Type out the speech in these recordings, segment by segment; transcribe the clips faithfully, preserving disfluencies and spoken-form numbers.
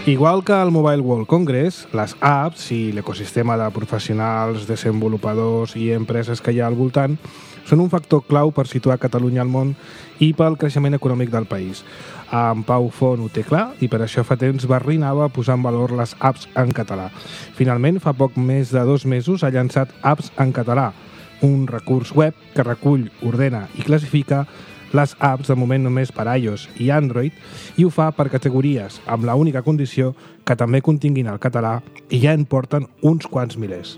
Igual que al Mobile World Congress, les apps i l'ecosistema de professionals, desenvolupadors i empreses que hi ha al voltant són un factor clau per situar Catalunya al món i pel creixement econòmic del país. En Pau Font ho té clar i per això fa temps barrinava posar en valor les apps en català. Finalment, fa poc més de dos mesos ha llançat Apps en Català, un recurs web que recull, ordena i classifica les apps de moment només per iOS i Android i ho fa per categories, amb la única condició que també continguin el català i ja en porten uns quants milers.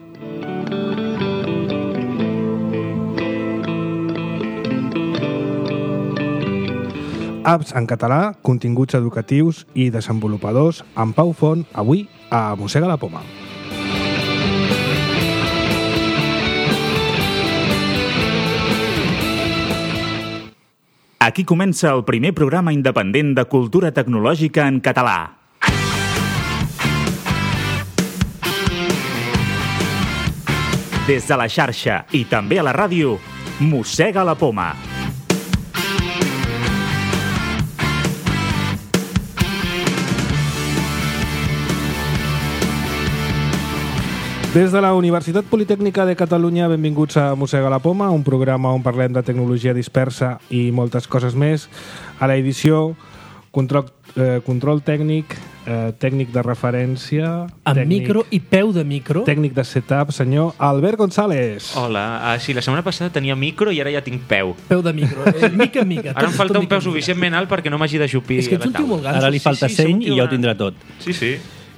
Apps en català, continguts educatius i desenvolupadors amb Pau Font, avui a Mossega la Poma. Aquí comença el primer programa independent de cultura tecnològica en català. Des de la xarxa i també a la ràdio, Mossega la Poma. Des de la Universitat Politècnica de Catalunya, benvinguts a Mossega la Poma, un programa on parlem de tecnologia dispersa i moltes coses més. A l'edició, control, eh, control tècnic, eh, tècnic de referència... Amb tècnic, micro i peu de micro. Tècnic de setup, senyor Albert González. Hola, ah, sí, la setmana passada tenia micro i ara ja tinc peu. Peu de micro, eh, mica en mica. Ara em falta un peu mica. suficientment alt perquè no m'hagi d'ajupir És que ets un tio molt ganso. Ara li falta Sí, sí, seny som i ja ho una- tindrà tot. Sí, sí.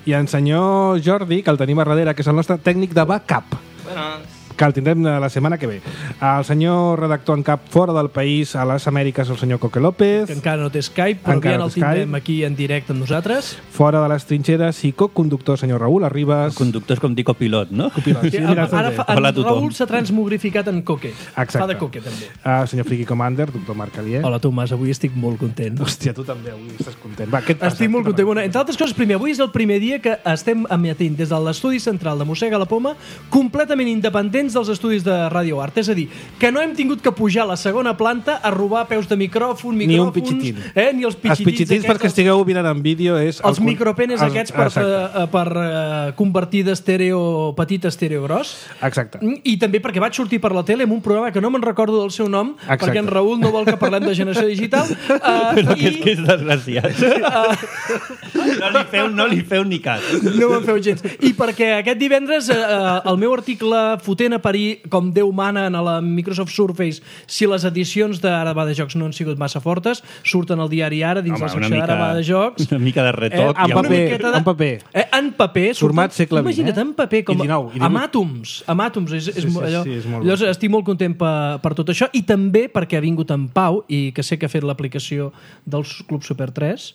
I en senyor Jordi, que el tenim a darrere, que és el nostre tècnic de backup, Bueno, que el tindrem la setmana que ve. El senyor redactor en cap fora del país, a les Amèriques, el senyor Coque López. Que encara no té Skype, però Encara ja no el té Skype. tindrem aquí en directe amb nosaltres. Fora de les trinxeres i coconductor, senyor Raül Arribas. Conductor és com dir copilot, no? Copilot, sí, Sí, mira, ara fa, Hola a en tothom. Raül s'ha transmogrificat en Coque. Exacte. Fa de Coque, també. Uh, senyor Friki Commander, doctor Marc Alier. Hola, Tomàs, avui estic molt content. Hòstia, tu també avui estàs content. Va, què et passa? Estic molt Què content. t'ha Bueno, entre altres coses, primer, avui és el primer dia que estem emetint des de l'estudi central de Mossega la Poma completament independents dels estudis de Radio Art. És a dir, que no hem tingut que pujar a la segona planta a robar peus de micròfon, Ni micròfons... un pitxitín. Eh, ni els Els pitxitins. pitxitins, aquests, perquè els- estigueu mirant en vídeo, és... Els el- micropenes els- aquests per, Exacte. uh, per uh, convertir d'estèreo petit a estèreo gros. Exacte. I també perquè vaig sortir per la tele en un programa que no me'n recordo del seu nom, Exacte. perquè en Raül no vol que parlem de generació digital. Uh, Però que i, és que és desgraciat. No li feu, no li feu ni cas. No me'n feu gens. I perquè aquest divendres eh, el meu article fotent a parir com Déu mana a la Microsoft Surface, si les edicions d'Ara va de jocs no han sigut massa fortes, surten al diari Ara dins Home, la una secció d'Ara mica- va de jocs. una mica de retoc Eh, i en una paper, miqueta de- en paper. Eh, en paper. surten- Format segle vint, Imagina't, eh? en paper. Com, I dinou, i divuit. amb àtoms. Amb àtoms. És, és, Sí, sí, allò, sí, és molt llavors bo. estic molt content per, per tot això i també perquè ha vingut en Pau i que sé que ha fet l'aplicació del Club Super tres.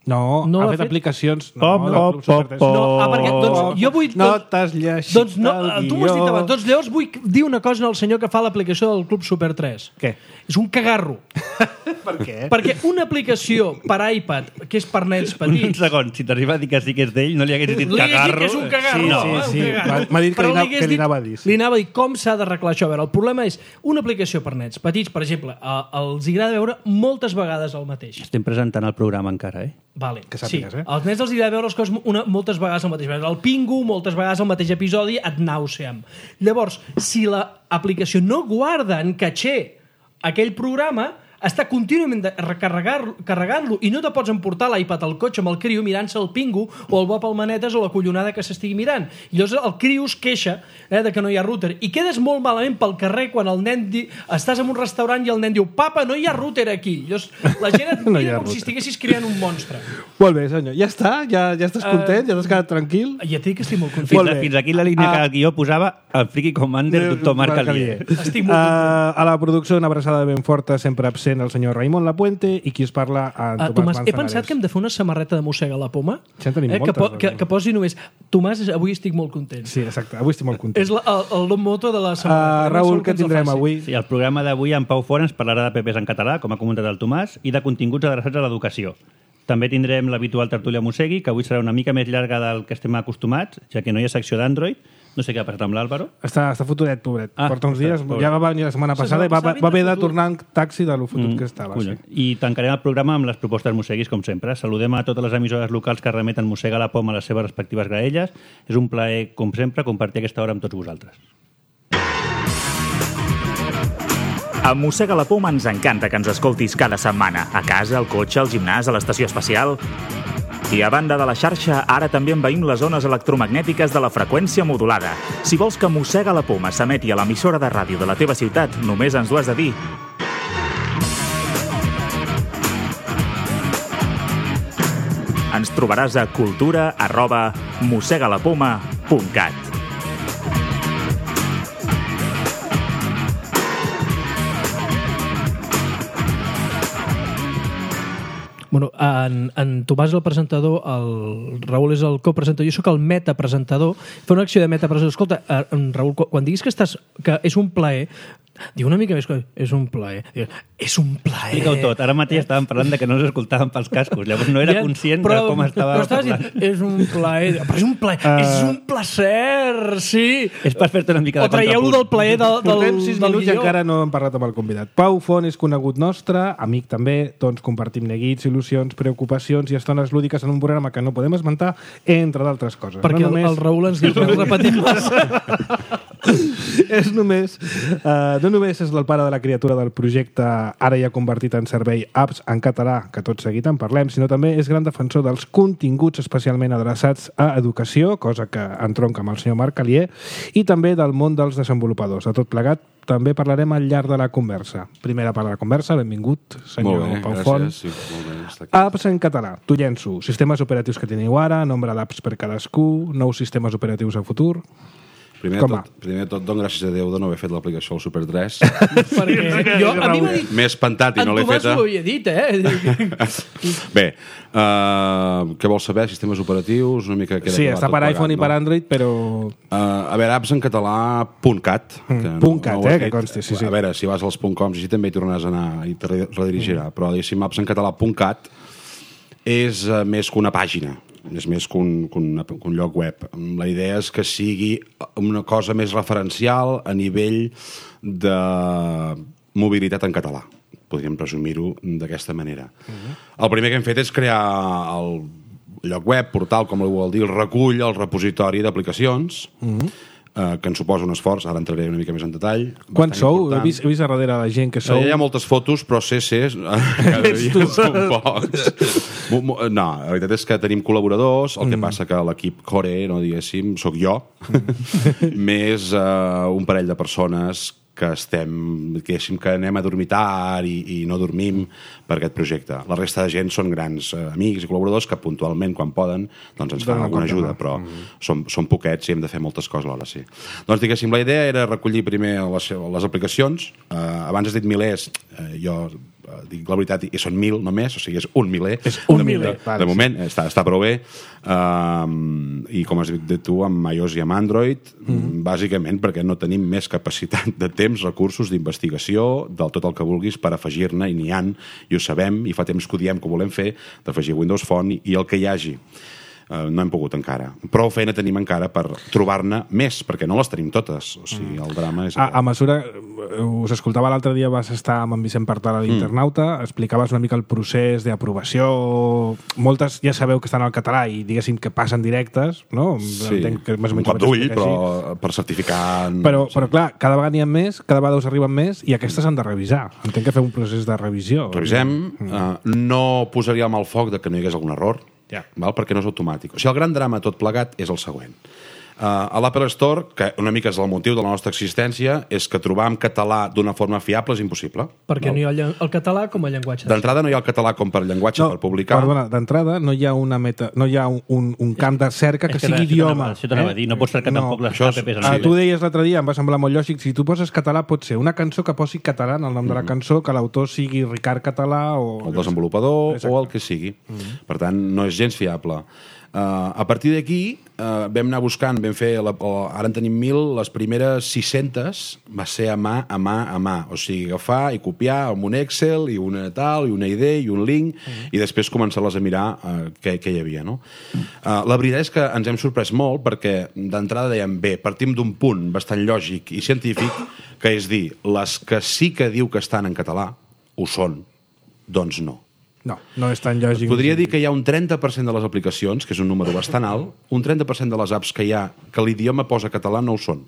No, No ha l'ha fet fet? aplicacions... No, Pop, del pop, Club Super pop, tres. pop. No, ah, perquè, doncs, jo vull... No Doncs, t'has llegit doncs no, el tu m'ho has dit guió. abans. Doncs llavors vull dir una cosa al senyor que fa l'aplicació del Club Super tres. Què? És un cagarro. Per què? Perquè una aplicació per iPad, que és per nens Un petits... segon, si t'arriba a dir que sí que és d'ell, no li haguessis dit Li hagués dit cagarro. que és un cagarro. Sí, no, sí, eh, un sí. cagarro. M'ha- m'ha dit que Però li anava- hagués que li dit- anava a dir, sí. Li anava a dir com s'ha d'arreglar això. A veure, el problema és una aplicació per nens petits, per exemple, eh, els agrada veure moltes vegades el mateix. Estem presentant el programa encara, eh? Vale. Que sàpigues, sí. eh? Als nens els agrada veure les coses una, moltes vegades al mateix. El Pingu, moltes vegades al mateix episodi, et nàuseam. Llavors, si l'aplicació no guarda en caché aquell programa, està contínuament de recarregar- carregant-lo i no te pots emportar l'iPad al cotxe amb el criu mirant-se el Pingu o el Bob al Manetes o la collonada que s'estigui mirant. I llavors el criu es queixa eh, de que no hi ha router. I quedes molt malament pel carrer quan el nen di... estàs en un restaurant i el nen diu «Papa, no hi ha router aquí». Llavors la gent et No hi mira ha com si router. estiguessis creant un monstre. Molt bé, senyor. Ja està? Ja, ja estàs content? Ja t'has quedat tranquil? Ja et dic que estic molt content. Fins, Molt a, bé. fins aquí la línia Ah. que el guió posava el Friki Commander, doctor Marc Alier. Estic molt content. Uh, a la producció una abraçada ben forta, sempre absent, sent el senyor Raimon Lapuente i qui us parla en Uh, Tomàs Tomàs, he Manzanares. pensat que hem de fer una samarreta de Mossega la Poma Ja en tenim eh, que, moltes, po que, doncs. que posi només Tomàs, avui estic molt content. Sí, exacte. Avui estic molt content. És la, el, el nom moto de la samarreta. Uh, Raül, què tindrem avui? Sí, el programa d'avui en Pau Fora ens parlarà de P Ps en català, com ha comentat el Tomàs, i de continguts adreçats a l'educació. També tindrem l'habitual tertúlia Mossegui, que avui serà una mica més llarga del que estem acostumats, ja que no hi ha secció d'Android. No sé què ha passat amb l'Àlvaro. Està, està fotudet, pobret. Ah, Porta uns dies, pobret. ja va venir la setmana La passada i va, setmana va, va haver de passada tornar en taxi de lo fotut Mm, que estava. collons. Sí. I tancarem el programa amb les propostes mosseguis, com sempre. Saludem a totes les emissores locals que remeten Mossega la Poma a les seves respectives graelles. És un plaer, com sempre, compartir aquesta hora amb tots vosaltres. A Mossega la Poma ens encanta que ens escoltis cada setmana. A casa, al cotxe, al gimnàs, a l'estació espacial. I a banda de la xarxa, ara també envaïm les zones electromagnètiques de la freqüència modulada. Si vols que Mossega la Poma s'emeti a l'emissora de ràdio de la teva ciutat, només ens ho has de dir. Ens trobaràs a cultura arroba mossegalapoma punt cat. Bueno, en, en Tomàs és el presentador, el Raül és el copresentador, jo sóc el metapresentador. Fa una acció de metapresentador. Escolta, eh, Raül, quan diguis que, estàs, que és un plaer, diu una mica més que és un plaer. Diu, és un plaer. Explica-ho tot. Ara mateix estàvem parlant de que no ens escoltàvem pels cascos. Llavors no era Ja, conscient però, de com estava però estaves parlant. dient, és un plaer. Però és un plaer. Uh, és un placer, sí. És per fer-te una mica O de traieu-lo contrapunt. del plaer del, del, Portem sis del minuts i guió. encara no hem parlat amb el convidat. Pau Font és conegut nostre, amic també, doncs compartim neguits, il·lusions, preocupacions i estones lúdiques en un programa que no podem esmentar, entre d'altres coses. Perquè no el, només... el Raül ens diu que ens repetim massa. és només, uh, no només és el pare de la criatura del projecte ara ja convertit en servei Apps en català, que tot seguit en parlem, sinó també és gran defensor dels continguts especialment adreçats a educació, cosa que entronca amb el senyor Marc Calier, i també del món dels desenvolupadors. De tot plegat, també parlarem al llarg de la conversa. Primera part de la conversa, benvingut, senyor molt bé, Pau gràcies. Font. Sí, molt bé, està aquí. Apps en català, t'ho llenço. Sistemes operatius que teniu ara, nombre d'apps per cadascú, nous sistemes operatius a futur... Primer de, Com va? tot, primer de tot, dono gràcies a Déu de no haver fet l'aplicació al Super tres. Perquè jo, a mi m'ha dit... M'he espantat i En no l'he Tomàs feta. ho havia dit, eh? Bé, uh, què vols saber? Sistemes operatius? Una mica queda Sí, clar està tot per plegat, iPhone i no? per Android, però... Uh, a veure, apps en català, punt cat. Que punt cat, ho he eh, que fet. consti, sí, sí. A veure, si vas als punt coms, així també hi tornaràs a anar i te redirigirà. Però, diguéssim, apps en català, punt cat, és uh, més que una pàgina. És més que un, que, un, que un lloc web. La idea és que sigui una cosa més referencial a nivell de mobilitat en català. Podríem presumir-ho d'aquesta manera. Uh-huh. El primer que hem fet és crear el lloc web, portal, com ho vol dir, el recull, el repositori d'aplicacions, uh-huh. eh, que ens suposa un esforç, ara entraré una mica més en detall. Quan bastant sou? He important. vist, he vist a darrere la gent que sou... Hi ha moltes fotos, però C Cs cada dia són pocs. Mo- mo- No, la veritat és que tenim col·laboradors, el que passa que l'equip core, no diguéssim, sóc jo, més uh, un parell de persones que estem, diguéssim, que anem a dormir tard i, i no dormim per aquest projecte. La resta de gent són grans eh, amics i col·laboradors que puntualment, quan poden, doncs ens fan Donen alguna compte, ajuda, no? però mm. som, som poquets i hem de fer moltes coses alhora, sí. Doncs, diguéssim, la idea era recollir primer les, les aplicacions. Eh, abans has dit milers, eh, jo eh, dic la veritat, i són mil només, o sigui, és un miler. És un de, miler, De, vale, de moment, sí. està, està prou bé. Um, I com has dit tu, amb iOS i amb Android, mm. bàsicament perquè no tenim més capacitat de temps, recursos, d'investigació, del tot el que vulguis per afegir-ne, i n'hi han, i ho sabem, i fa temps que ho diem que ho volem fer, d'afegir Windows Phone i, i el que hi hagi. Uh, no hem pogut encara. Prou feina tenim encara per trobar-ne més, perquè no les tenim totes. O sigui, el drama és... A, a mesura... Us escoltava l'altre dia, vas estar amb en Vicent Partal a l'Internauta, mm. explicaves una mica el procés d'aprovació. Moltes ja sabeu que estan al català i, diguéssim, que passen directes, no? Sí, Entenc que més o un menys cop ho vaig d'ull, explicar però així. per certificar... Però, però clar, cada vegada n'hi ha més, cada vegada us arriben més i aquestes s'han de revisar. Entenc que feu un procés de revisió. Revisem. Mm. Uh, no posaríem al foc de que no hi hagués algun error, Ja. val? Perquè no és automàtic. O sigui, el gran drama tot plegat és el següent. Uh, a l'Apple Store, que una mica és el motiu de la nostra existència, és que trobar en català d'una forma fiable és impossible. Perquè no? no hi ha el, el català com a llenguatge. D'entrada no hi ha el català com per llenguatge No, per publicar. perdona, d'entrada no hi ha una meta, no hi ha un, un, un camp de cerca que És que sigui això idioma. Això t'anava a dir, no pots cercar No, tampoc les això és- apps en Ah, anglès. tu deies l'altre dia, em va semblar molt lògic, si tu poses català pot ser una cançó que posi català en el nom de la cançó, que l'autor sigui Ricard Català o... el desenvolupador Exacte. o el que sigui. Mm-hmm. Per tant, no és gens fiable. Uh, a partir d'aquí uh, vam anar buscant, vam fer, la, o, ara en tenim mil, les primeres sis-centes va ser a mà, a mà, a mà. O sigui, agafar i copiar amb un Excel i una tal, i una idea i un link, mm-hmm. i després començar-les a mirar uh, què, què hi havia. No? Uh, la veritat és que ens hem sorprès molt perquè d'entrada dèiem, bé, partim d'un punt bastant lògic i científic, que és dir, les que sí que diu que estan en català, ho són, doncs no. No, no és tan lògic. Podria dir que hi ha un trenta per cent de les aplicacions, que és un número bastant alt, un trenta per cent de les apps que hi ha que l'idioma posa català no ho són.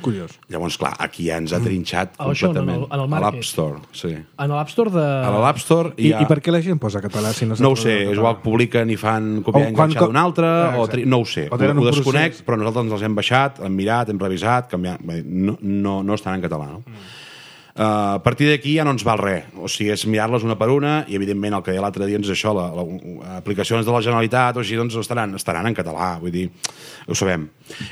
Curiós. Llavors, clar, aquí ja ens ha trinxat Ah, això, completament. en el- en el a market. l'App Store, sí. En l'App Store de... A l'App Store I, hi ha... I per què la gent posa català si no No ho sap sé, el és català? igual que publiquen i fan copiar O i quan enganxar co- d'un altre, Ah, o exacte. tri... no ho sé, O ho, tenen ho un desconec, procés. però nosaltres ens els hem baixat, hem mirat, hem revisat, canviat... No, no, no estan en català, no? Mm. Uh, a partir d'aquí ja no ens val res, o sigui, és mirar-les una per una i evidentment el que deia l'altre dia és això, la, la, la, aplicacions de la Generalitat o així, doncs estaran, estaran en català, vull dir, ho sabem.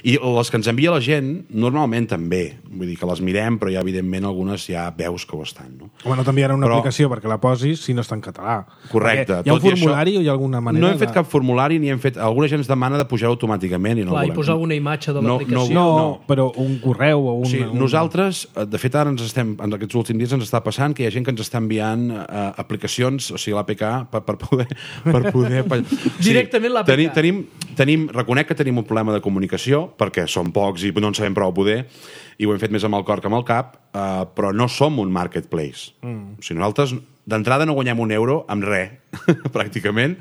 I les que ens envia la gent normalment també, vull dir que les mirem, però ja evidentment algunes ja veus que ho estan, no? Home, no t'enviaran una Però- aplicació perquè la posis si no està en català. Correcte. Perquè hi ha un tot i formulari això, o hi ha alguna manera no hem fet de... cap formulari ni hem fet... Alguna gent ens demana de pujar automàticament i no Clar, ho i volem. posar alguna imatge de No, l'aplicació. No, no. però un correu o un... O sigui, un... nosaltres, eh, de fet, ara ens estem, en aquests últims dies ens està passant que hi ha gent que ens està enviant uh, aplicacions, o sigui, l'A P K, per, per poder... Per poder o Directament l'A P K. Tenim, tenim, tenim, reconec que tenim un problema de comunicació, perquè som pocs i no en sabem prou poder, i ho hem fet més amb el cor que amb el cap, uh, però no som un marketplace. Mm. O sigui, nosaltres, d'entrada, no guanyem un euro amb res, pràcticament,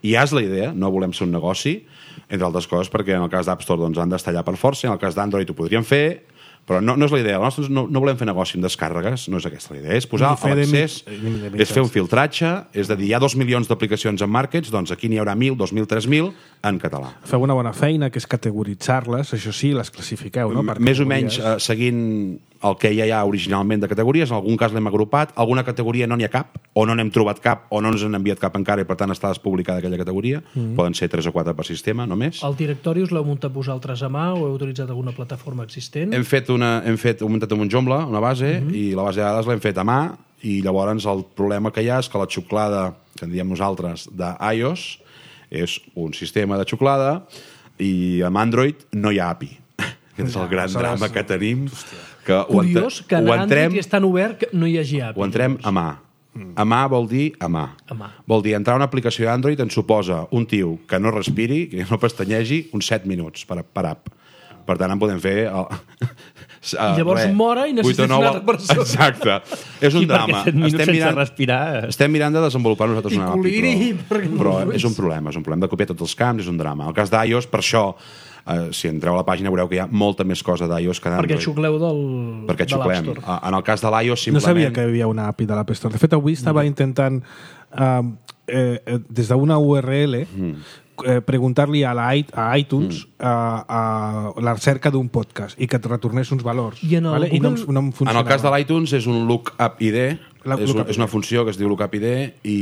i ja és la idea, no volem ser un negoci, entre altres coses, perquè en el cas d'App Store doncs, han d'estar allà per força, en el cas d'Android ho podríem fer, però no, no és la idea. Nosaltres no, no volem fer negoci amb descàrregues, no és aquesta la idea. És posar Ni fer de l'accés, mi- ni de és fer un mitjans. filtratge, és de dir, hi ha dos milions d'aplicacions en markets, doncs aquí n'hi haurà mil, dos mil, tres mil en català. Feu una bona feina, que és categoritzar-les, això sí, les classifiqueu, no? Per Més o menys categories. eh, seguint el que ja hi ha originalment de categories, en algun cas l'hem agrupat, alguna categoria no n'hi ha cap, o no n'hem trobat cap, o no ens han enviat cap encara i per tant està despublicada aquella categoria. Mm. Poden ser tres o quatre per sistema, només. El directori us l'heu muntat vosaltres a mà o heu utilitzat alguna plataforma existent? Hem fet una, hem fet, hem muntat un Joomla, una base, mm-hmm. i la base de dades l'hem fet a mà, i llavors el problema que hi ha és que la xuclada, que en diem nosaltres, d'iOS, és un sistema de xuclada, i amb Android no hi ha A P I. Aquest és el gran drama que tenim. Que ho Curiós entre- que en ho Android entrem, és tan obert que no hi hagi A P I. ho entrem a mà. A mà vol dir a mà. A mà. Vol dir entrar a una aplicació d'Android ens suposa un tio que no respiri, que no pestanyegi, uns set minuts per, per app. Per tant, en podem fer... El... I llavors mora i necessites vuit o nou una altra persona. Exacte. És un I perquè drama. set minuts Estem sense mirant, respirar... estem mirant de desenvolupar nosaltres I una app, coliri, perquè però, no però ho és un veus. problema, és un problema de copiar tots els camps, és un drama. El cas d'iOS, per això, eh, si entreu a la pàgina veureu que hi ha molta més cosa d'iOS que d'Android. Perquè xucleu del, Perquè de l'App xuclem. Store. Ah, En el cas de l'iOS, No simplement... sabia que hi havia una A P I de l'App Store. De fet, avui estava intentant, eh, eh, eh, des d'una U R L, eh, preguntar-li a, la, i- a iTunes eh, a la cerca d'un podcast i que et retornés uns valors. I en el I no, em- Google- no em En funcionava. el cas de l'iTunes és un lookup I D, La- és, un, lookup és una funció que es diu lookup I D i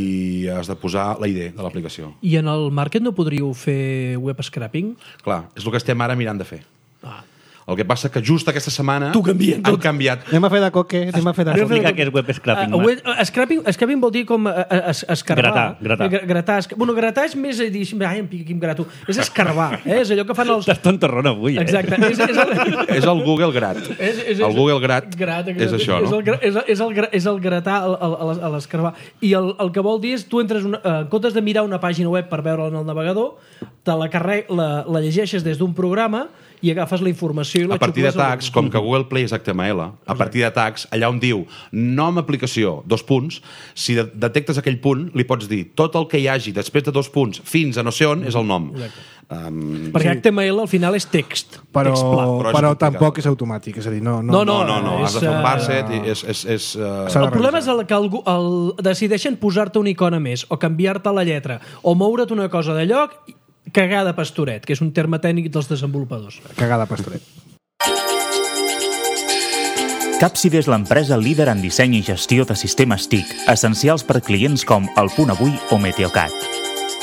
has de posar la I D de l'aplicació. I en el market no podríeu fer web scraping? Clar, és el que estem ara mirant de fer. Ah. El que passa que just aquesta setmana T'ho canvien han tot. canviat. Anem a fer de coque, anem a fer de Explica què és web scraping. Uh, Marc. web, uh, scraping, scraping vol dir com uh, es, escarbar. Gratar, gratar. Eh, gratar es, bueno, gratar és més a dir, ai, em pica aquí em grato. És escarbar, eh? És allò que fan els... Estàs tontorrón avui, eh? Exacte. És, és, el, És el Google Grat. és, és, El Google Grat, grat, és això, és no? el, gra- és, el, és, el, gra- és el gratar a, a, a l'escarbar. I el, el que vol dir és, tu entres, una, eh, en comptes de mirar una pàgina web per veure-la en el navegador, te la, carre, la, la llegeixes des d'un programa i agafes la informació i la A partir de xucles al- tags, com que Google Play és H T M L, a partir de tags, allà on diu nom aplicació, dos punts, si de detectes aquell punt, li pots dir tot el que hi hagi després de dos punts fins a no sé on és el nom. Um, Perquè H T M L al final és text. Però, text pla. però és però complicat. tampoc és automàtic, és a dir, no... No, no, no, no, és, has de fer un eh, parset i és... és, és uh, S'ha de El problema és revisar. el que el, el, decideixen posar-te una icona més, o canviar-te la lletra, o moure't una cosa de lloc, cagar de pastoret, que és un terme tècnic dels desenvolupadors. Cagar de pastoret. Capside és l'empresa líder en disseny i gestió de sistemes T I C, essencials per clients com El Punt Avui o Meteocat.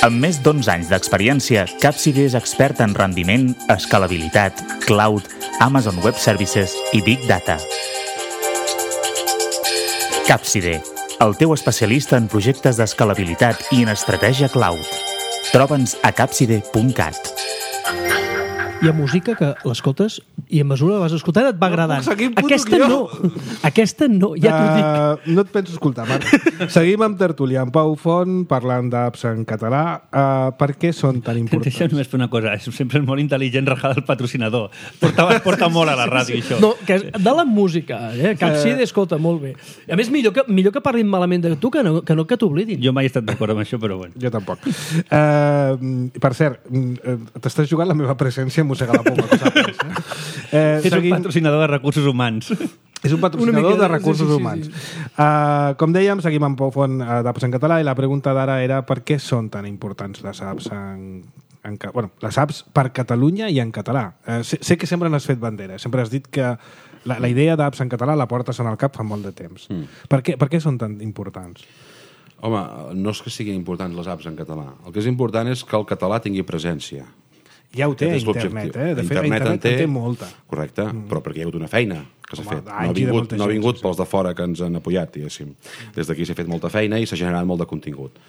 Amb més d'onze anys d'experiència, Capside és expert en rendiment, escalabilitat, cloud, Amazon Web Services i Big Data. Capside, el teu especialista en projectes d'escalabilitat i en estratègia cloud. Troba'ns a capside punt cat. Hi ha música que l'escoltes i a mesura que vas escoltant et va agradant. puc seguir, puto Aquesta guió. no. Aquesta no, ja t'ho dic. Uh, no et penso escoltar, Marc. Seguim amb tertúlia, amb Pau Font, parlant d'apps en català. Uh, per què són tan importants? Deixa només fer una cosa. És sempre és molt intel·ligent rajar del patrocinador. Porta, porta molt a la ràdio, això. No, que és de la música, eh? Capside, escolta, molt bé. A més, millor que, millor que parlin malament de tu que no que, no que t'oblidin. Jo mai he estat d'acord amb això, però bueno. Jo tampoc. Uh, per cert, uh, t'estàs jugant la meva presència a mossegar la poma, que saps, eh? Eh, És un patrocinador de recursos humans. És un patrocinador mica, de recursos sí, sí, sí, humans. sí. Uh, com dèiem, seguim amb Pau Font uh, d'apps en català i la pregunta d'ara era per què són tan importants les apps en, en, bueno, les apps per Catalunya i en català. Uh, sé, sé que sempre n'has fet bandera, sempre has dit que la, la idea d'apps en català la portes en el cap fa molt de temps. Mm. Per, què, per què són tan importants? Home, no és que siguin importants les apps en català. El que és important és que el català tingui presència. Ja ho té a Aquest és internet, l'objectiu. eh? De fet, internet, internet en té, en té molta. Correcte, mm. però perquè hi ha hagut una feina que s'ha Home, fet. No anys ha i de vingut, molta no ha gent, vingut sí, sí. pels de fora que ens han apoyat, diguéssim. Des d'aquí s'ha fet molta feina i s'ha generat molt de contingut.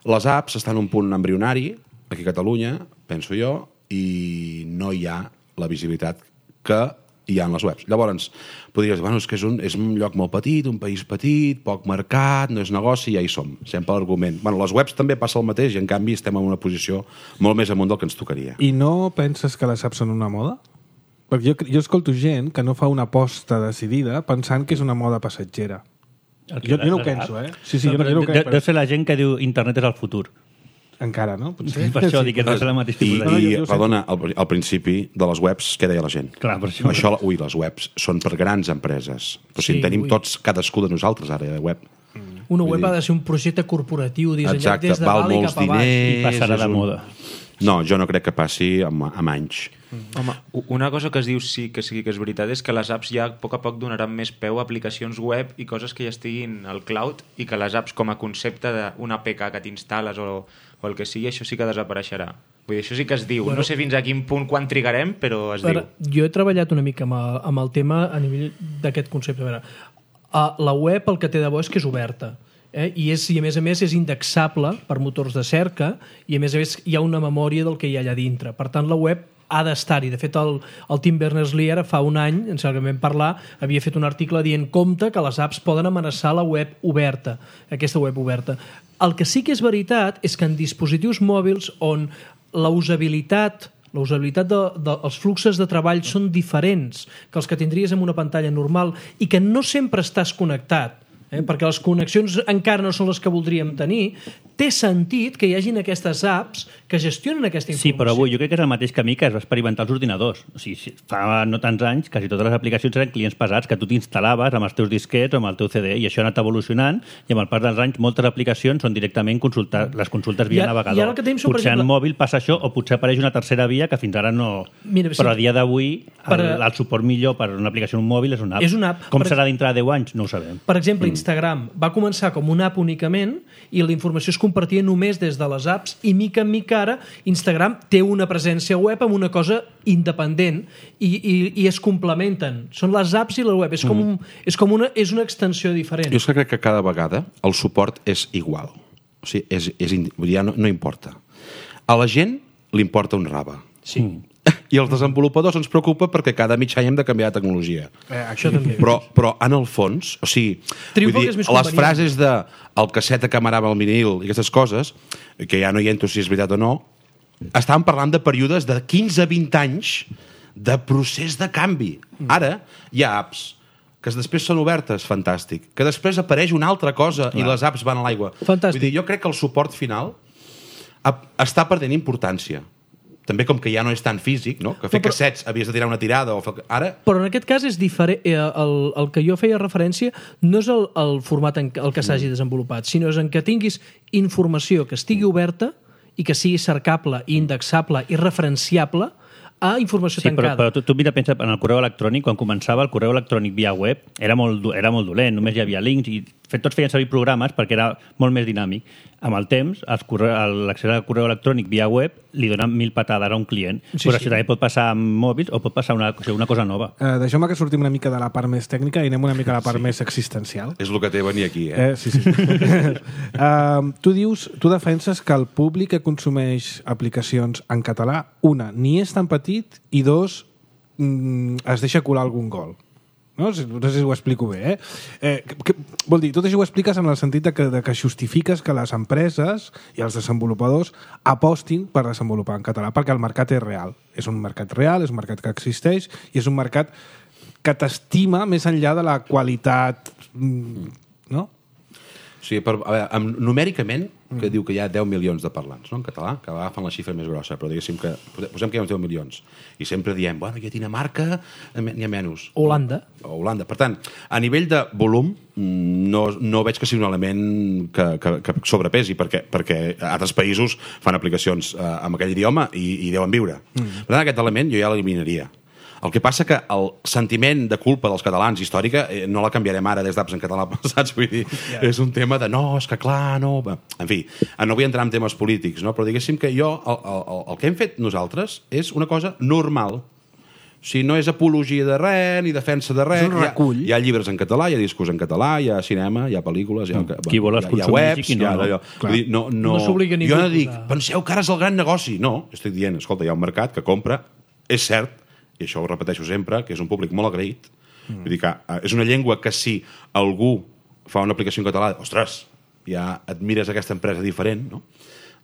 Les apps estan en un punt embrionari, aquí a Catalunya, penso jo, i no hi ha la visibilitat que hi ha en les webs. Llavors, podries dir, bueno, és que és un, és un lloc molt petit, un país petit, poc mercat, no és negoci, ja hi som. Sempre l'argument. Bueno, les webs també passa el mateix i, en canvi, estem en una posició molt més amunt del que ens tocaria. I no penses que les apps són una moda? Perquè jo, jo escolto gent que no fa una aposta decidida pensant que és una moda passatgera. Jo, jo no ho penso, eh? Sí, sí, jo, jo no ho de, penso. deu ser la gent que diu internet és el futur. Encara, no? Potser. Per això dic que deu ser el mateix I, tipus de No, i jo- jo ho perdona, al, al principi de les webs, què deia la gent? Clar, per això. Això, ui, les webs són per grans empreses. Però si Sí, en tenim ui. tots, cadascú de nosaltres, ara, de web. Una Vull web dir- ha de ser un projecte corporatiu dissenyat Exacte, des de val dalt i molts cap a baix. diners. I passarà és de un- moda. No, jo no crec que passi amb, amb anys. Home, una cosa que es diu sí que sí que és veritat és que les apps ja a poc a poc donaran més peu a aplicacions web i coses que ja estiguin al cloud i que les apps com a concepte d'una A P K que t'instal·les o, o el que sigui, això sí que desapareixerà. Vull dir, això sí que es diu. Bueno, no sé fins a quin punt quan trigarem, però es Per, diu. jo he treballat una mica amb el, amb el tema a nivell d'aquest concepte. A veure, a la web el que té de bo és que és oberta. Eh? I, és, I a més a més és indexable per motors de cerca i a més a més hi ha una memòria del que hi ha allà dintre. Per tant, la web ha d'estar-hi. De fet, el, el Tim Berners-Lee ara fa un any, en sembla que vam parlar, havia fet un article dient compte que les apps poden amenaçar la web oberta, aquesta web oberta. El que sí que és veritat és que en dispositius mòbils on la usabilitat la usabilitat dels de, de, fluxos de treball són diferents que els que tindries en una pantalla normal i que no sempre estàs connectat, eh? perquè les connexions encara no són les que voldríem tenir, té sentit que hi hagin aquestes apps que gestionen aquesta informació. Sí, però avui jo crec que és el mateix camí que es va experimentar als ordinadors. O sigui, fa no tants anys, quasi totes les aplicacions eren clients pesats que tu t'instal·laves amb els teus disquets o amb el teu C D, i això ha anat evolucionant, i amb el pas dels anys moltes aplicacions són directament consultar, les consultes via I a- navegador. i ara el que tenim són, per potser exemple- en mòbil passa això, o potser apareix una tercera via que fins ara no... Mira, sí. Però a dia d'avui Per el, a- el suport millor per una aplicació en un mòbil és una app. És una app. Com Per serà dintre de deu anys? No ho sabem. Per exemple, Instagram va començar com una app únicament i la informació es compartia només des de les apps i mica en mica ara Instagram té una presència web amb una cosa independent i, i, i es complementen. Són les apps i la web. És com, un, és com una, és una extensió diferent. Jo és que crec que cada vegada el suport és igual. O sigui, és, és, indi- vull dir, ja no, no importa. A la gent li importa un rave. Sí. I als desenvolupadors ens preocupa perquè cada mig any hem de canviar de tecnologia. Eh, això també. Però, però en el fons, o sigui, Triomfa vull que és més les convenient. frases de el casset que amarava el vinil i aquestes coses, que ja no hi entro si és veritat o no, estàvem parlant de períodes de quinze a vint anys de procés de canvi. Ara hi ha apps que després són obertes, fantàstic, que després apareix una altra cosa i les apps van a l'aigua. Fantàstic. Vull dir, jo crec que el suport final ha- està perdent importància. També com que ja no és tan físic, no? Que fer No, però- cassets havies de tirar una tirada o fer... Ara Però en aquest cas és diferent. Eh, el, el que jo feia referència no és el, el format en el que s'hagi desenvolupat, sinó és en què tinguis informació que estigui oberta i que sigui cercable, indexable i referenciable a informació sí, tancada. Però, però tu, tu mira, pensa en el correu electrònic, quan començava el correu electrònic via web, era molt, era molt dolent, només hi havia links i tots feien servir programes perquè era molt més dinàmic. Amb el temps, l'accés al correu electrònic via web li dona mil patades a un client, sí, però sí. Això també pot passar amb mòbils o pot passar una, una cosa nova. Uh, Deixeu-me que sortim una mica de la part més tècnica i anem una mica a la part sí. més existencial. És el que té venir aquí, eh? eh sí, sí. uh, tu dius, tu defenses que el públic que consumeix aplicacions en català, una, ni és tan petit i dos, mm, es deixa colar algun gol. No? no sé si ho explico bé, eh? eh que, vol dir, tot això ho expliques en el sentit de que, de que justifiques que les empreses i els desenvolupadors apostin per desenvolupar en català, perquè el mercat és real. És un mercat real, és un mercat que existeix i és un mercat que t'estima més enllà de la qualitat, no? Sí, per, a veure, amb, numèricament, que mm. diu que hi ha deu milions de parlants, no?, en català, que agafen la xifra més grossa, però diguéssim que posem que hi ha uns deu milions. I sempre diem, bueno, hi ha Dinamarca, n'hi ha menys. Holanda. O Holanda. Per tant, a nivell de volum, no, no veig que sigui un element que, que, que sobrepesi, perquè, perquè altres països fan aplicacions eh, amb aquell idioma i, i deuen viure. Mm. Per tant, aquest element jo ja l'eliminaria. El que passa que el sentiment de culpa dels catalans històrica eh, no la canviarem ara des d'apps en català, saps? Vull dir, yeah. És un tema de no, és que clar, no... En fi, no vull entrar en temes polítics, no? Però diguéssim que jo, el, el, el que hem fet nosaltres és una cosa normal. O sigui, no és apologia de res, ni defensa de res. És un recull. Hi ha, hi ha llibres en català, hi ha discos en català, hi ha cinema, hi ha pel·lícules, hi ha, mm. Qui vol hi ha, hi ha webs, no, hi ha... No, vull dir, no, no, no s'obliga ningú. Jo no dic, penseu que ara és el gran negoci. No, estic dient, escolta, hi ha un mercat que compra, és cert, i això ho repeteixo sempre, que és un públic molt agraït. Mm. Vull dir que és una llengua que si algú fa una aplicació en català, ostres, ja admires aquesta empresa diferent, no?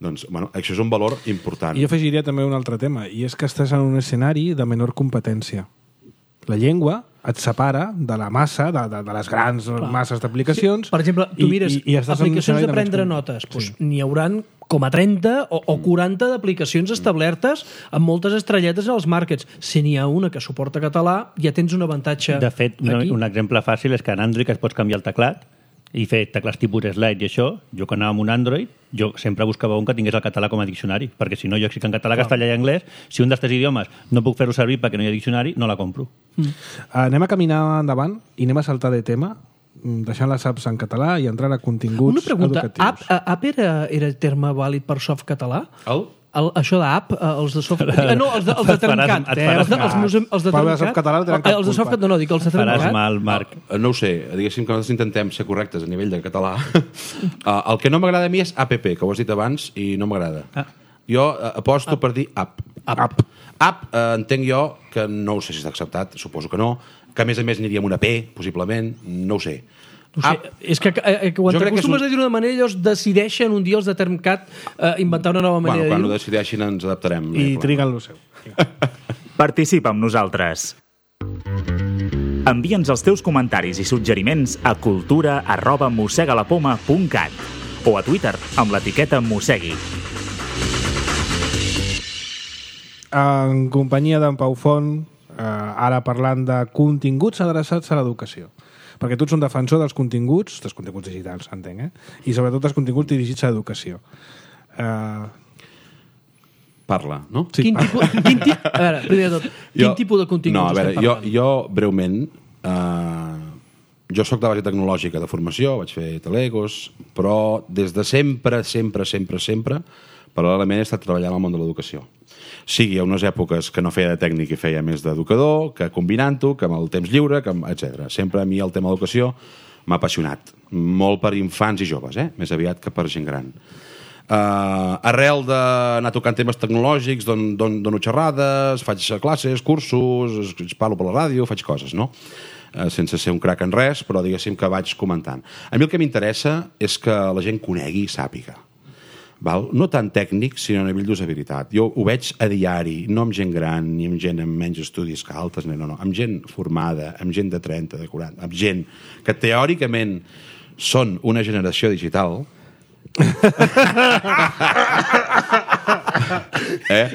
Doncs, bueno, això és un valor important. I jo afegiria també un altre tema, i és que estàs en un escenari de menor competència. La llengua et separa de la massa, de, de, de les grans Clar. masses d'aplicacions. Sí. Per exemple, tu mires i, i, i aplicacions de prendre de notes, doncs sí. N'hi hauran com a trenta o, o quaranta d'aplicacions establertes amb moltes estrelletes als màrquets. Si n'hi ha una que suporta català, ja tens un avantatge. De fet, un, un exemple fàcil és que en Android es pots canviar el teclat i fer teclats tipus slide i això. Jo quan anava amb un Android, jo sempre buscava un que tingués el català com a diccionari, perquè si no jo escric en català, castellà i anglès, si un dels tres idiomes no puc fer-ho servir perquè no hi ha diccionari, no la compro. Mm. Anem a caminar endavant i anem a saltar de tema, deixant les apps en català i entrar a continguts educatius. Una pregunta, educatius. app, app era, era terme vàlid per soft català? El? El, això d'app, els de soft... Ah, no, els de, els de Termcat. Els de, els de, els de, els de Termcat. Català, eh, els de soft, no, no, dic els de Termcat. Faràs mal, Marc. No, no ho sé, diguéssim que nosaltres intentem ser correctes a nivell de català. El que no m'agrada a mi és app, que ho has dit abans i no m'agrada. Ah. Jo aposto app. per dir app. App. App, app eh, entenc jo que no ho sé si està acceptat, suposo que no, que a més a més aniria amb una P, possiblement, no ho sé. No sé, és que eh, quan t'acostumes un... a dir-ho d'una manera, llavors decideixen un dia els de Termcat eh, inventar una nova manera bueno, quan de dir-ho. Quan ho decideixin ens adaptarem. I triguen lo seu. Participa amb nosaltres. Envia'ns els teus comentaris i suggeriments a cultura arroba mossegalapoma punt cat o a Twitter amb l'etiqueta mossegui. En companyia d'en Pau Font, eh, ara parlant de continguts adreçats a l'educació. Perquè tu ets un defensor dels continguts, dels continguts digitals, entenc, eh? I sobretot dels continguts dirigits a l'educació. Uh... Parla, no? Sí. Quin tipus, quin tip, a veure, primer de tot, quin jo, tipus de continguts no, a veure, estem parlant? Jo, jo breument, uh, jo sóc de base tecnològica de formació, vaig fer telegos, però des de sempre, sempre, sempre, sempre, paral·lelament he estat treballant al món de l'educació. Sigui a unes èpoques que no feia de tècnic i feia més d'educador, que combinant-ho, que amb el temps lliure, que etcètera. Sempre a mi el tema de l'educació m'ha apassionat. Molt per infants i joves, eh? Més aviat que per gent gran. Uh, arrel d'anar tocant temes tecnològics, don, don, dono xerrades, faig classes, cursos, parlo per la ràdio, faig coses, no? Uh, sense ser un crac en res, però diguéssim que vaig comentant. A mi el que m'interessa és que la gent conegui i sàpiga. Val? No tant tècnic, sinó a nivell d'usabilitat. Jo ho veig a diari, no amb gent gran, ni amb gent amb menys estudis que altres, no, no, amb gent formada, amb gent de trenta, de quaranta, amb gent que teòricament són una generació digital. eh?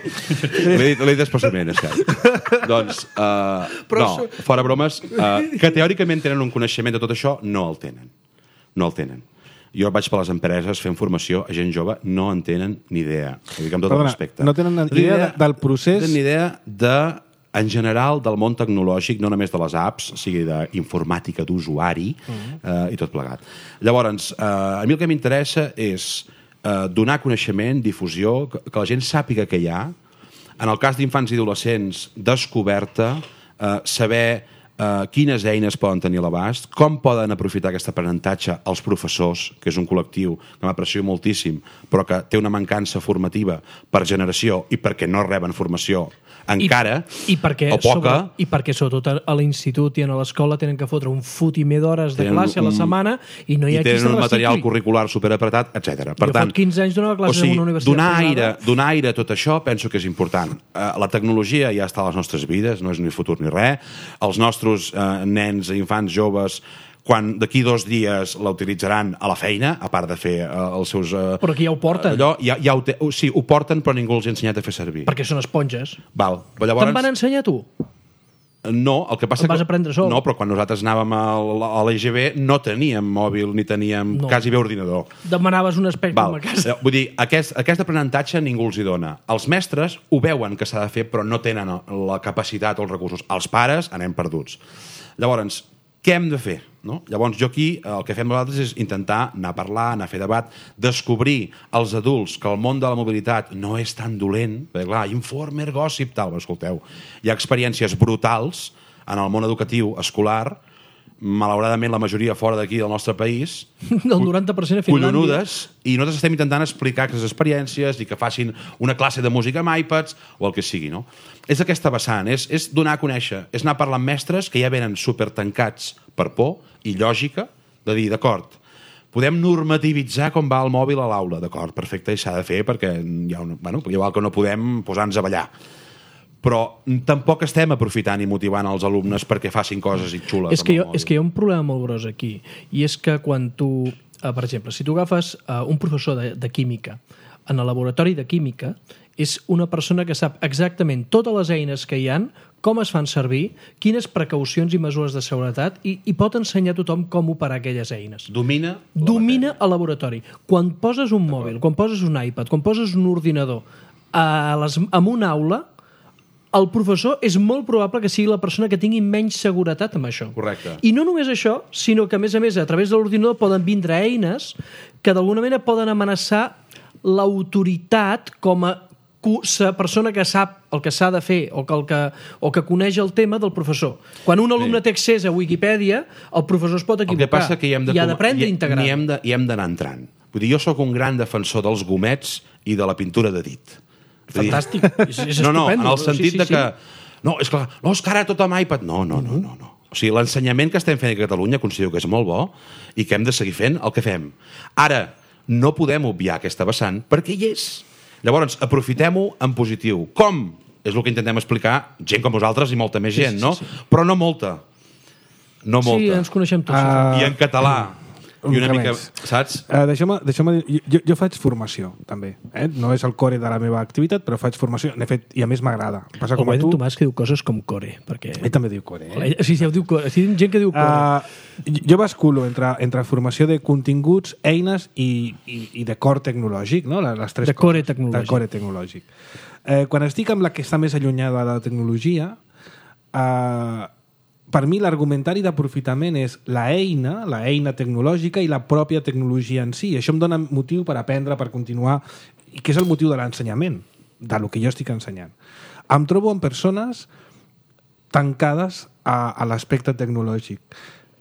L'he dit, l'he dit expressament, és que... Doncs, uh, no, fora bromes, uh, que teòricament tenen un coneixement de tot això, no el tenen. No el tenen. Jo vaig per les empreses fent formació a gent jove, no en tenen ni idea. Ho dic amb tot Perdona, el respecte. no tenen ni idea de- del procés- No tenen ni idea de, en general, del món tecnològic, no només de les apps, sigui d'informàtica d'usuari eh, i tot plegat. Llavors, eh, a mi el que m'interessa és eh, donar coneixement, difusió, que, que la gent sàpiga què hi ha. En el cas d'infants i adolescents, descoberta, eh, saber eh, quines eines poden tenir a l'abast, com poden aprofitar aquest aprenentatge els professors, que és un col·lectiu que m'aprecio moltíssim, però que té una mancança formativa per generació i perquè no reben formació encara, I, i perquè, o poca. sobre, I perquè sobretot a l'institut i a l'escola tenen que fotre un fotimer d'hores de Tenen classe a la un- setmana i no hi i ha qui se tenen un material recicli. curricular superapretat, etcètera. Per Jo tant, fa quinze anys donava classes en una universitat donar privada. aire, donar aire a tot això penso que és important. Eh, la tecnologia ja està a les nostres vides, no és ni futur ni res. Els nostres eh, nens, infants, joves, quan d'aquí dos dies la utilitzaran a la feina, a part de fer eh, els seus... Eh, Però aquí ja ho porten. Allò, ja, ja ho té, sí, ho porten, però ningú els ha ensenyat a fer servir. Perquè són esponges. Val. Però llavors, Te'n van ensenyar tu? no, el que passa El vas que, aprendre sol. No, però quan nosaltres anàvem a l'E G B no teníem mòbil ni teníem No. quasi bé ordinador. Demanaves un espectrum Val. a casa. Eh, Vull dir, aquest, aquest aprenentatge ningú els hi dona. Els mestres ho veuen que s'ha de fer, però no tenen la capacitat o els recursos. Els pares anem perduts. Llavors, què hem de fer? No? Llavors, jo aquí el que fem nosaltres és intentar anar a parlar, anar a fer debat, descobrir als adults que el món de la mobilitat no és tan dolent, perquè clar, informer, gossip, tal, però escolteu, hi ha experiències brutals en el món educatiu escolar, malauradament la majoria fora d'aquí del nostre país, El noranta per cent a Finlàndia. collonudes, i nosaltres estem intentant explicar aquestes experiències i que facin una classe de música amb iPads o el que sigui, no? És aquesta vessant, és, és donar a conèixer, és anar parlant amb mestres que ja venen supertancats per por i lògica, de dir, d'acord, podem normativitzar com va el mòbil a l'aula, d'acord, perfecte, i s'ha de fer perquè hi ha una, bueno, igual que no podem posar-nos a ballar. Però tampoc estem aprofitant i motivant els alumnes perquè facin coses i xules. És que, amb el jo, mòbil. és que hi ha un problema molt gros aquí, i és que quan tu, eh, per exemple, si tu agafes eh, un professor de, de química en el laboratori de química, és una persona que sap exactament totes les eines que hi han, com es fan servir, quines precaucions i mesures de seguretat, i, i pot ensenyar a tothom com operar aquelles eines. Domina la Domina el laboratori. Quan poses un mòbil, quan poses un iPad, quan poses un ordinador a les, en una aula, el professor és molt probable que sigui la persona que tingui menys seguretat amb això. Correcte. I no només això, sinó que, a més a més, a través de l'ordinador poden vindre eines que d'alguna manera poden amenaçar l'autoritat com a cu- sa persona que sap el que s'ha de fer o que, el que, o que coneix el tema del professor. Quan un alumne té accés a Wikipedia, el professor es pot El que equivocar passa que hi hem de, i ha d'aprendre a integrar. Hi hem de- hi hem d'anar entrant. Vull dir, jo sóc un gran defensor dels gomets i de la pintura de dit. Vull dir- Fantàstic. És, és no, no, en estupendo. el sentit Sí, sí, de sí. que... No, és clar, no, és que ara tot amb iPad... No, no, no, no. no. O sigui, l'ensenyament que estem fent a Catalunya considero que és molt bo i que hem de seguir fent el que fem. Ara, no podem obviar aquesta vessant perquè hi és. Llavors, aprofitem-ho en positiu. Com? És el que intentem explicar gent com vosaltres i molta més gent, sí, no? sí, sí. Però no molta. No molta. Sí, ens coneixem tots. Ah, I en català. I una una mica, més. saps? Uh, deixeu-me, deixeu jo, jo faig formació, també. Eh? No és el core de la meva activitat, però faig formació. N'he fet, i a més m'agrada. Passa com a El tu. Tomàs que diu coses com core, perquè... Ell també diu core. Eh? Sí, sí, ho diu core. Sí, gent que diu core. Uh, jo basculo entre, entre formació de continguts, eines i, i, i de core tecnològic, no? Les, les tres De core coses. tecnològic. De core tecnològic. Eh, quan estic amb la que està més allunyada de la tecnologia, eh, per mi l'argumentari d'aprofitament és la eina, la eina tecnològica i la pròpia tecnologia en si. Això em dona motiu per aprendre, per continuar, i que és el motiu de l'ensenyament, de lo que jo estic ensenyant. Em trobo amb persones tancades a, a l'aspecte tecnològic.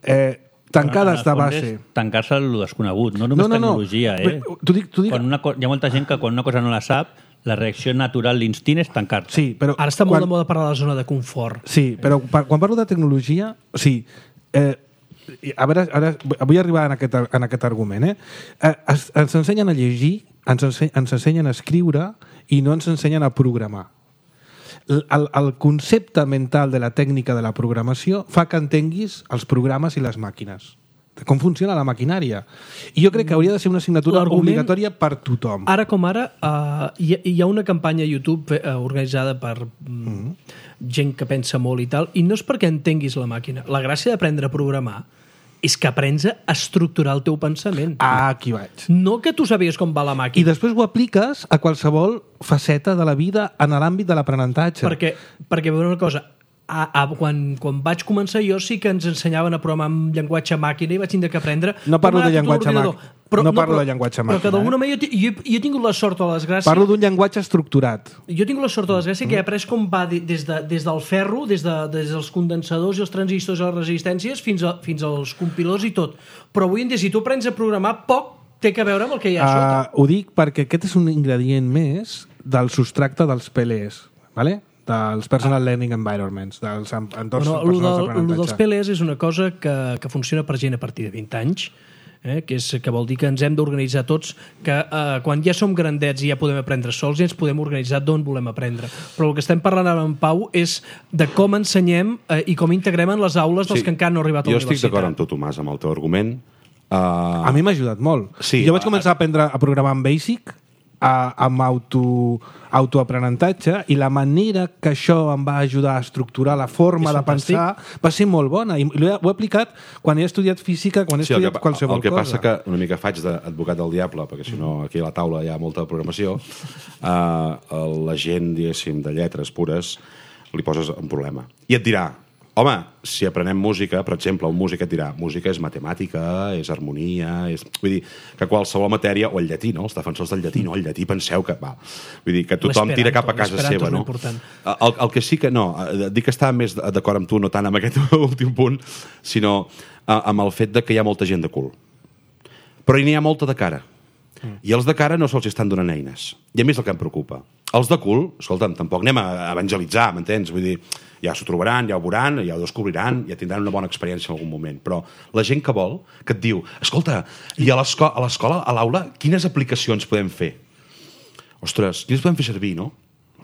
Eh, tancades de base. Tancar-se a lo desconegut, no només No, no, no. tecnologia, eh? Bé, t'ho dic- t'ho dic- Quan una co- hi ha molta gent que quan una cosa no la sap, la reacció natural, l'instint és tancar-se. Sí, però... Ara està molt quan- de moda parlar de la zona de confort. Sí, però pa- quan parlo de tecnologia... O sigui, eh, a veure, ara vull arribar en aquest, en aquest argument. Eh? Eh, es, ens ensenyen a llegir, ens, ense, ens ensenyen a escriure i no ens ensenyen a programar. El, el, el concepte mental de la tècnica de la programació fa que entenguis els programes i les màquines. De com funciona la maquinària. I jo crec que hauria de ser una assignatura L'argument- obligatòria per tothom. Ara com ara, uh, hi, ha- hi ha una campanya a YouTube uh, organitzada per mm, gent que pensa molt i tal, i no és perquè entenguis la màquina. La gràcia d'aprendre a programar és que aprens a estructurar el teu pensament. Ah, aquí vaig. No que tu sabies com va la I màquina. després ho apliques a qualsevol faceta de la vida en l'àmbit de l'aprenentatge. Perquè, perquè veure una cosa, a, a, quan, quan vaig començar jo sí que ens ensenyaven a programar amb llenguatge màquina i vaig tindre que aprendre... No parlo com de anar tot llenguatge l'ordinador. màquina. Però, No parlo però, de llenguatge Però que màquina, d'alguna eh? manera jo, jo, jo he tingut la sort o la desgràcia... Parlo d'un llenguatge estructurat. Jo he tingut la sort o la desgràcia que he après com va de- des, de, des del ferro, des, de, des dels condensadors i els transistors i les resistències fins, a, fins als compilors i tot. Però avui en dia, si tu aprens a programar, poc té que veure amb el que hi ha a sota. Uh, ho dic perquè aquest és un ingredient més del substracte dels P L Es, ¿vale? dels Personal Learning Environments, dels en- entorns Bueno, lo, personals del, lo d'aprenentatge. dels P L Es és una cosa que, que funciona per gent a partir de vint anys, eh? que, és, que vol dir que ens hem d'organitzar tots, que eh, quan ja som grandets i ja podem aprendre sols, ja ens podem organitzar d'on volem aprendre. Però el que estem parlant ara amb Pau és de com ensenyem eh, i com integrem en les aules dels Sí. que encara no han arribat a Jo la universitat. estic d'acord amb tu, Tomàs, amb el teu argument. Uh, A mi m'ha ajudat molt. Sí. Jo vaig començar a aprendre a programar en Basic, a, amb auto, autoaprenentatge, i la manera que això em va ajudar a estructurar la forma És de fantàstic. pensar va ser molt bona. I ho he, ho he aplicat quan he estudiat física, quan he Sí, el estudiat que, qualsevol el que cosa. passa que una mica faig d'advocat del diable, perquè si no aquí a la taula hi ha molta programació, uh, la gent, diguéssim, de lletres pures li poses un problema. I et dirà, home, si aprenem música, per exemple, un músic et dirà, música és matemàtica, és harmonia, és... Vull dir, que qualsevol matèria, o el llatí, no? Els defensors del llatí, no? El llatí penseu que... Va. Vull dir, que tothom tira cap a casa L'esperanto seva, és no? important. El, el que sí que no, eh, dic que estava més d'acord amb tu, no tant amb aquest últim punt, sinó eh, amb el fet de que hi ha molta gent de cul. Però n'hi ha molta de cara. I els de cara no se'ls estan donant eines. I a mi és el que em preocupa. Els de cul, escolta'm, tampoc anem a evangelitzar, m'entens? Vull dir, ja s'ho trobaran, ja ho veuran, ja ho descobriran, ja tindran una bona experiència en algun moment. Però la gent que vol, que et diu, escolta, i a l'escola, a l'escola, a l'aula, quines aplicacions podem fer? Ostres, quines podem fer servir, no?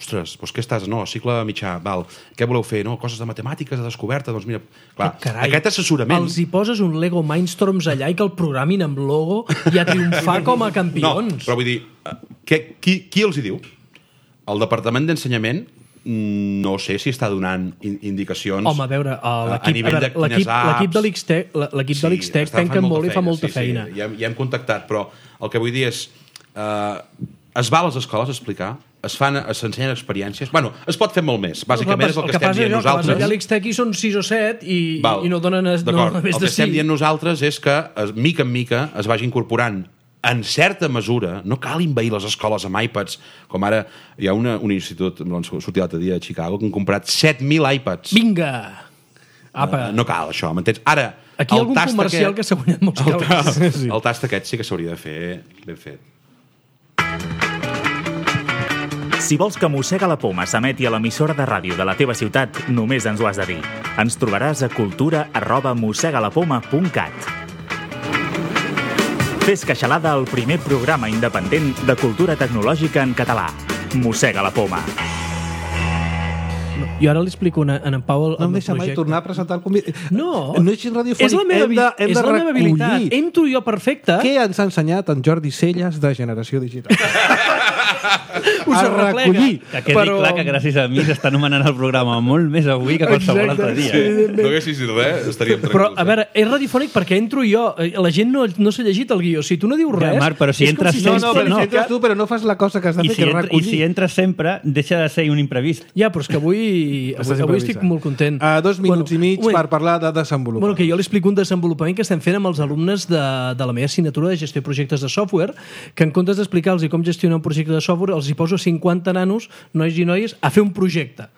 Ostres, doncs què estàs? No, cicle mitjà, val. Què voleu fer? No, coses de matemàtiques, de descoberta, doncs mira... Clar, Carai, aquest assessorament... Els hi poses un Lego Mindstorms allà i que el programin amb logo i a triomfar com a No, campions. però vull dir, eh, què, qui, qui els hi diu? El Departament d'Ensenyament mm, no sé si està donant in indicacions Home, a veure, uh, a l'equip nivell a de veure, quines l'equip l'equip apps. de l'X-Tech l'equip de l'X-Tech està fent penca molt i fa molta sí, feina. Sí, ja, ja hem contactat, però el que vull dir és eh, es va a les escoles a explicar, es fan, s'ensenyen experiències. Bueno, es pot fer molt més. Bàsicament és el que, estem dient nosaltres. nosaltres. Allà a l'X-Tech hi són sis o set i, Val. i no donen no, D'acord, més el de que estem cinc. dient nosaltres és que, es- mica en mica, es vagi incorporant en certa mesura, no cal envair les escoles amb iPads, com ara hi ha una, un institut, doncs, sortia l'altre dia a Chicago, que han comprat set mil iPads. Vinga! Apa. Uh, no cal, això, m'entens? Ara, Aquí hi ha el algun tast comercial aquest, que s'ha guanyat molts el, calés. ta- el tast aquest sí que s'hauria de fer ben fet. Si vols que Mossega la Poma s'emeti a l'emissora de ràdio de la teva ciutat, només ens ho has de dir. Ens trobaràs a cultura arroba mossegalapoma punt cat. Fes Queixalada, el primer programa independent de cultura tecnològica en català. Mossega la Poma. Jo ara li explico una, en en Pau el, No em el deixa mai projecte. tornar a presentar el convidat. No, no és radiofònic. és la meva, hem de, hem és de la meva habilitat. recollir Entro jo perfecte. què ens ha ensenyat en Jordi Celles de Generació Digital. Us a arreplega. recollir. Que quedi però... clar que gràcies a mi s'està anomenant el programa molt més avui que qualsevol Exacte, altre dia. sí. No haguessis dit res, estaríem tranquils. Però, a veure, és radiofònic perquè entro jo. Eh, La gent no, no s'ha llegit el guió. Si tu no dius res... Ja, Marc, però si és com entres no, No, no, no, però però no. si entres tu, però no fas la cosa que has de I fer, si, que és entra, I recollir. si entres sempre, deixa de ser un imprevist. Ja, però és que avui, Estàs avui, avui improvisant. estic molt content. A dos minuts Bueno, i mig un moment. per parlar de desenvolupament. Bueno, que jo li explico un desenvolupament que estem fent amb els alumnes de, de la meva assignatura de gestió de projectes de software, que en comptes d'explicar-los com gestionar un projecte de software, els hi poso cinquanta nanos, nois i noies, a fer un projecte.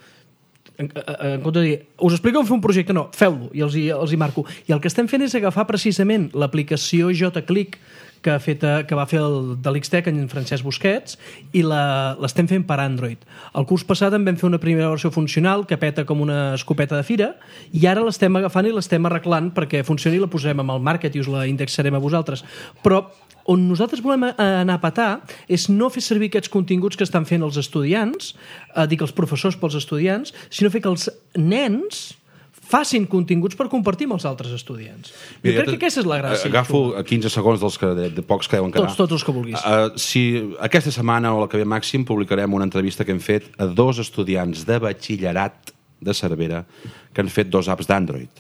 En, en compte de dir, us explico com fer un projecte, no, feu-lo, i els hi, els hi marco. I el que estem fent és agafar precisament l'aplicació JClick que, ha fet, que va fer el de l'X-Tech en Francesc Busquets i la- l'estem fent per Android. El curs passat en vam fer una primera versió funcional que peta com una escopeta de fira i ara l'estem agafant i l'estem arreglant perquè funcioni i la posarem amb el market i us la indexarem a vosaltres. Però on nosaltres volem anar a petar és no fer servir aquests continguts que estan fent els estudiants, eh, dic els professors pels estudiants, sinó fer que els nens facin continguts per compartir amb els altres estudiants. Jo Mira, crec que aquesta és la gràcia. Agafo quinze segons dels que de, de pocs que deuen quedar. Tots, tots els que vulguis. Uh, si aquesta setmana o la que ve màxim publicarem una entrevista que hem fet a dos estudiants de batxillerat de Cervera que han fet dos apps d'Android.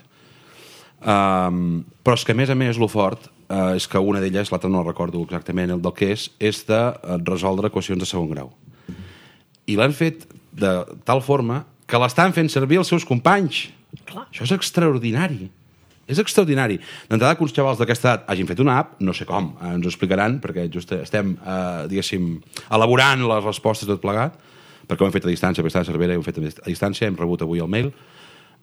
Um, però és que, a més a més, lo fort uh, és que una d'elles, l'altra no recordo exactament el del que és, és de resoldre equacions de segon grau. I l'han fet de tal forma que l'estan fent servir els seus companys. Clar. Això és extraordinari. És extraordinari. D'entrada que uns xavals d'aquesta edat hagin fet una app, no sé com, eh, ens ho explicaran, perquè just estem, eh, diguéssim, elaborant les respostes tot plegat, perquè ho hem fet a distància, perquè està a Cervera, ho hem fet a distància, hem rebut avui el mail.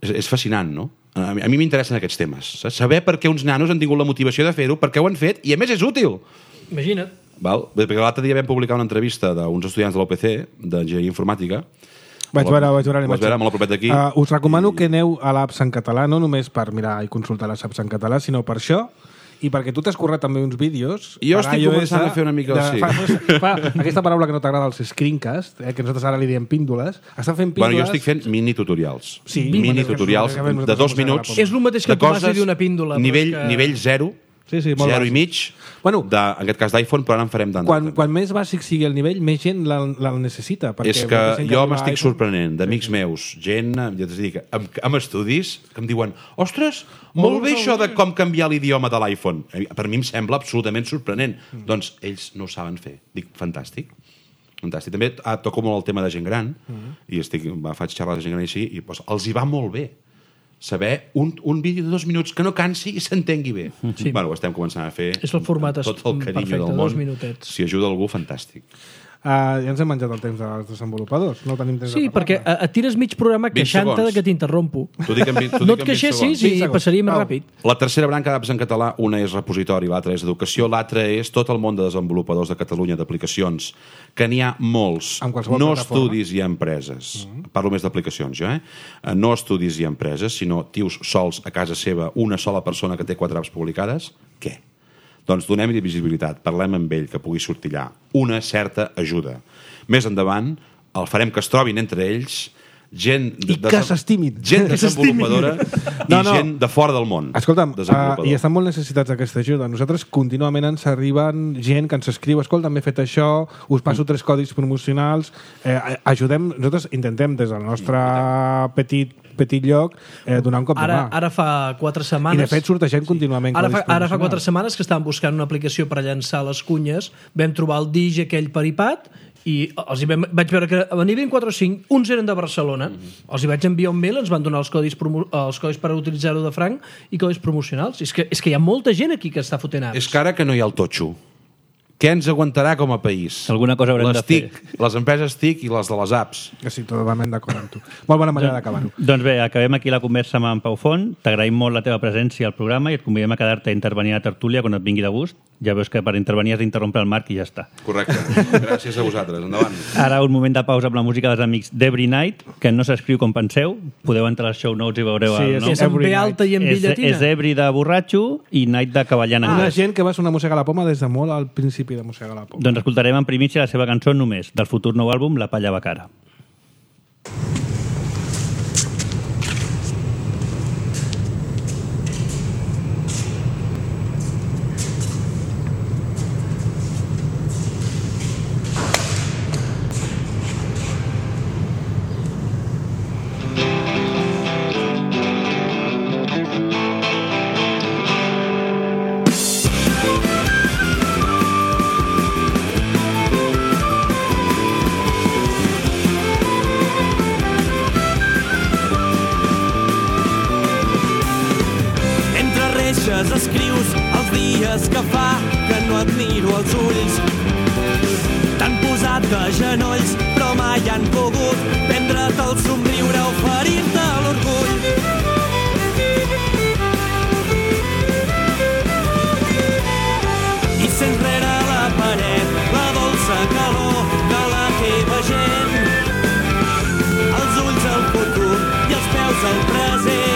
És, és fascinant, no? A mi, a mi m'interessen aquests temes. Saps? Saber per què uns nanos han tingut la motivació de fer-ho, per què ho han fet, i a més és útil. Imagina't. Val? Perquè l'altre dia vam publicar una entrevista d'uns estudiants de l'U P C, d'enginyeria informàtica. Vaig veure, vaig veure, vaig veure, molt a propet d'aquí. Uh, us recomano i... que aneu a l'apps en català, no només per mirar i consultar les apps en català, sinó per això, i perquè tu t'has currat també uns vídeos. Jo estic començant a fer una mica... De, sí. fa, fa, aquesta paraula que no t'agrada, els screencast, eh, que nosaltres ara li diem píndoles, estan fent píndoles... Bueno, jo estic fent mini-tutorials. Sí, mini-tutorials de dos minuts. És el mateix que el Tomàs li diu una píndola. Nivell, que... nivell zero, sí, sí, molt zero bàsic. i mig, bueno, de, en aquest cas d'iPhone, però ara en farem d'Android. Quan, quan més bàsic sigui el nivell, més gent la, la necessita. És que jo m'estic sorprenent d'amics meus, gent, ja t'ho dic, amb, amb estudis, que em diuen, ostres, molt bé això de com canviar l'idioma de l'iPhone. Per mi em sembla absolutament sorprenent. Mm. Doncs ells no ho saben fer. Dic, fantàstic. Fantàstic. També ah, toco molt el tema de gent gran, mm. i estic, va, faig xerrades de gent gran així, i doncs, els hi va molt bé saber un, un vídeo de dos minuts que no cansi i s'entengui bé. Sí. Bueno, ho estem començant a fer. És el format tot el carinyo perfecte, del món. dos minutets. Si ajuda algú, fantàstic. Uh, ja ens hem menjat el temps dels desenvolupadors. No tenim temps sí, de perquè et tires mig programa queixant-te de que t'interrompo. No et queixessis i passaria més ràpid. La tercera branca d'apps en català, una és repositori, l'altra és educació, l'altra és tot el món de desenvolupadors de Catalunya, d'aplicacions, que n'hi ha molts, no estudis i empreses. Mm-hmm. Parlo més d'aplicacions, jo, eh? No estudis i empreses, sinó tios sols a casa seva, una sola persona que té quatre apps publicades. Què? Doncs donem-hi visibilitat, parlem amb ell, que pugui sortir allà. Una certa ajuda. Més endavant, el farem que es trobin entre ells gent... I de, que s'estimin. Gent desenvolupadora i no, no. gent de fora del món. Escolta'm, uh, i estan molt necessitats d'aquesta ajuda. Nosaltres contínuament ens arriben gent que ens escriu, escolta, m'he fet això, us passo tres codis promocionals, eh, ajudem, nosaltres intentem des del nostre petit petit lloc, eh, donar un cop ara, de mà. Ara fa quatre setmanes... I de fet sortegem contínuament. Ara fa, ara fa quatre setmanes que estàvem buscant una aplicació per llançar les cunyes, vam trobar el Digi aquell per iPad i els hi vam, vaig veure que a nivell quatre o cinc, uns eren de Barcelona, mm-hmm. els hi vaig enviar un mail, ens van donar els codis, promo, els codis per utilitzar-ho de franc i codis promocionals. És que, és que hi ha molta gent aquí que està fotent apps. És que ara que no hi ha el totxo. Què ens aguantarà com a país? Alguna cosa haurem les de fer. TIC, les empreses TIC i les de les apps. Sí, totalment d'acord amb tu. Molt bona manera d'acabar-ho. Doncs bé, acabem aquí la conversa amb en Pau Font. T'agraïm molt la teva presència al programa i et convidem a quedar-te a intervenir a la tertúlia quan et vingui de gust. Ja veus que per intervenir has d'interrompre el Marc i ja està. Correcte. Gràcies a vosaltres. Endavant. Ara un moment de pausa amb la música dels amics d'Every Night, que no s'escriu com penseu. Podeu entrar als show notes i veureu sí, el nom. És amb B alta i amb B llatina. És Every de borratxo i Night de cavallant ah, anglès. Una gent que va sonar Mossega la Poma des de molt al principi de Mossega la Poma. Doncs escoltarem en primícia la seva cançó només, del futur nou àlbum La Palla Bacara. Escrius els dies que fa que no et miro als ulls. T'han posat de genolls, però mai han pogut prendre't el somriure, oferir-te l'orgull. I sents rere la paret la dolça calor de la teva gent. Els ulls al futur i els peus al present.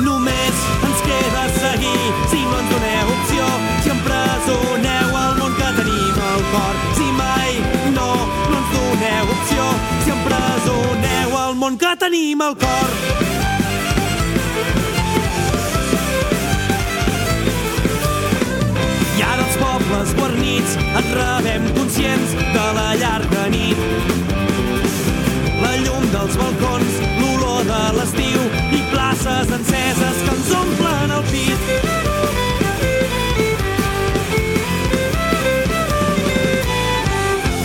Només ens queda seguir, si no ens doneu opció, si empresoneu el món que tenim al cor. Si mai no, no ens doneu opció, si empresoneu el món que tenim al cor. I ara els pobles guarnits et rebem conscients de la llarga nit. La llum dels balcons, l'olor de l'estiu i plaça brases enceses que ens omplen el pit.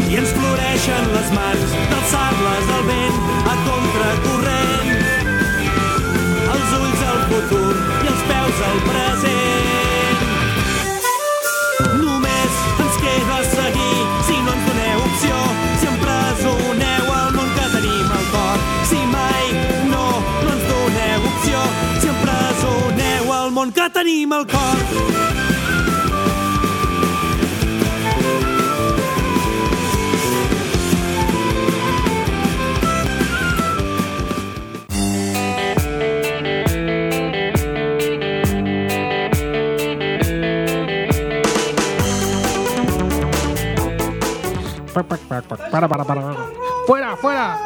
I ens floreixen les mans d'alçar-les al vent a contracorrent. Els ulls al futur i els peus al present. Només ens queda seguir si no ens doneu opció, si empresoneu el món que tenim al cor. Si mai no, no ens doneu opció, si empresoneu el món que tenim al cor. Para, para, para. Fuera, fuera!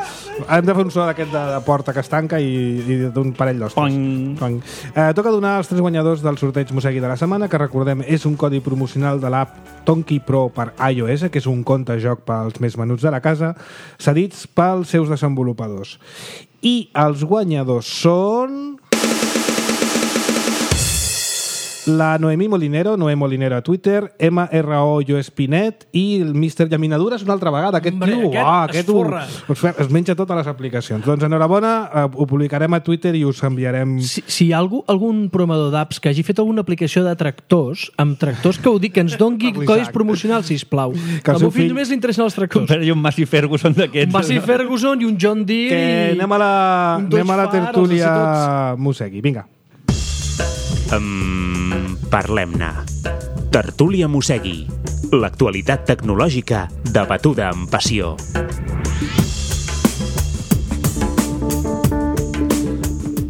Hem de fer un so d'aquest de, de porta que es tanca i, i d'un parell d'ostres. Eh, toca donar els tres guanyadors del sorteig Mosegui de la setmana, que recordem és un codi promocional de l'app Tonki Pro per iOS, que és un compte joc pels més menuts de la casa, cedits pels seus desenvolupadors. I els guanyadors són... la Noemí Molinero, Noé Molinero a Twitter, M R O Jo Espinet i el míster Llaminadures una altra vegada. Aquest Hombre, tio, aquest uah, es aquest forra. ho, es menja totes les aplicacions. Doncs enhorabona, eh, ho publicarem a Twitter i us enviarem... Si, si hi ha algú, algun programador d'apps que hagi fet alguna aplicació de tractors, amb tractors que ho dic, que ens dongui codis promocionals, sisplau. Que el Al seu meu fill fill- només li interessen els tractors. Comprar-hi un Massey Ferguson d'aquests. Un Massey Ferguson i un John Deere Que i... anem a la, un Dodge anem a la Far, els tertúlia instituts. Mosegui. Vinga. Um, Parlem-ne. Tertúlia Mosegui. L'actualitat tecnològica debatuda amb passió.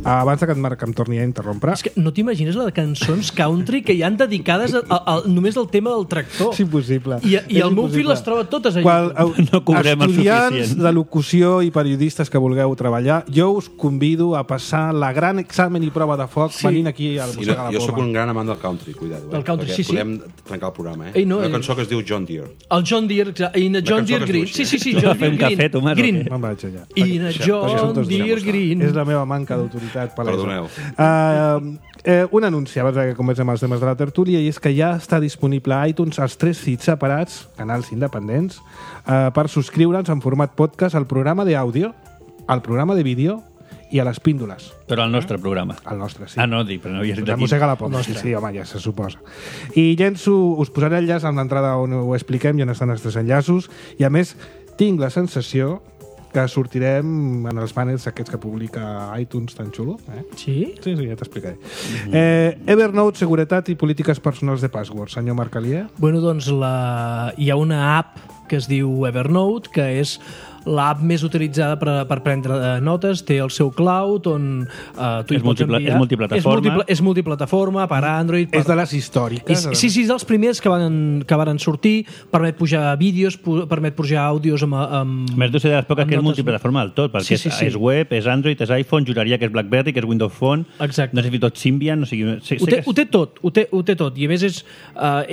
Abans que en Marc em torni a interrompre... És que no t'imagines la de cançons country que hi han dedicades a, a, a, només al tema del tractor. És impossible. I, i És el meu impossible. fill les troba totes a Qual, YouTube. No cobrem el estudiants suficient. de locució i periodistes que vulgueu treballar, jo us convido a passar la gran examen i prova de foc Sí. venint aquí al I no, Mossegar la jo sóc Poma. un gran amant del country, cuidado. Eh? Del country, Perquè sí, sí. podem trencar el programa, eh? Ei, no, Una eh. cançó que es diu John Deere. El John Deere, exacte, i na John cançó Deere que es Green. diu Sí, així, sí, sí, Tu John vas fer Deere un cafè, Green. Tomàs, o Green. què? Me'n vaig allà. I na Això, això són John tots Deere dramos. Green. És la meva manca d'autoritat palesa. Perdoneu. Uh, eh, un anunci abans que comencem els temes de la tertúlia, i és que ja està disponible a iTunes els tres feeds separats, canals independents, uh, per subscriure'ns en format podcast al programa d'àudio, al programa de vídeo i a les píndoles. Però el nostre programa. El nostre, sí. Ah, no, dic, però no havies dit La aquí. Mossega la Poma. Sí, sí, home, ja se suposa. I llenço, us posaré enllaç en l'entrada on ho expliquem, i on estan els tres enllaços, i a més tinc la sensació que sortirem en els banners aquests que publica iTunes tan xulo. Eh? Sí? Sí, sí, ja t'explicaré. Eh, Evernote, seguretat i polítiques personals de password. Senyor Marc Alier? Bueno, doncs la... hi ha una app que es diu Evernote, que és l'app més utilitzada per, per prendre eh, notes, té el seu cloud on eh, tu hi És pots multipla- enviar... és multiplataforma. És, múltiple, és multiplataforma per Android... Per... És de les històriques. És, sí, sí, és dels primers que van, que van sortir, permet pujar vídeos, pu- permet pujar àudios amb... amb Més deu ser de les poques amb que és notes. multiplataforma del tot, perquè Sí, sí, sí. És, és web, és Android, és iPhone, juraria que és BlackBerry, que és Windows Phone, Exacte. no sé si tot Symbian, no sé, sé, Ho sé té, que ho té tot, ho té, ho té tot. I a més és, uh,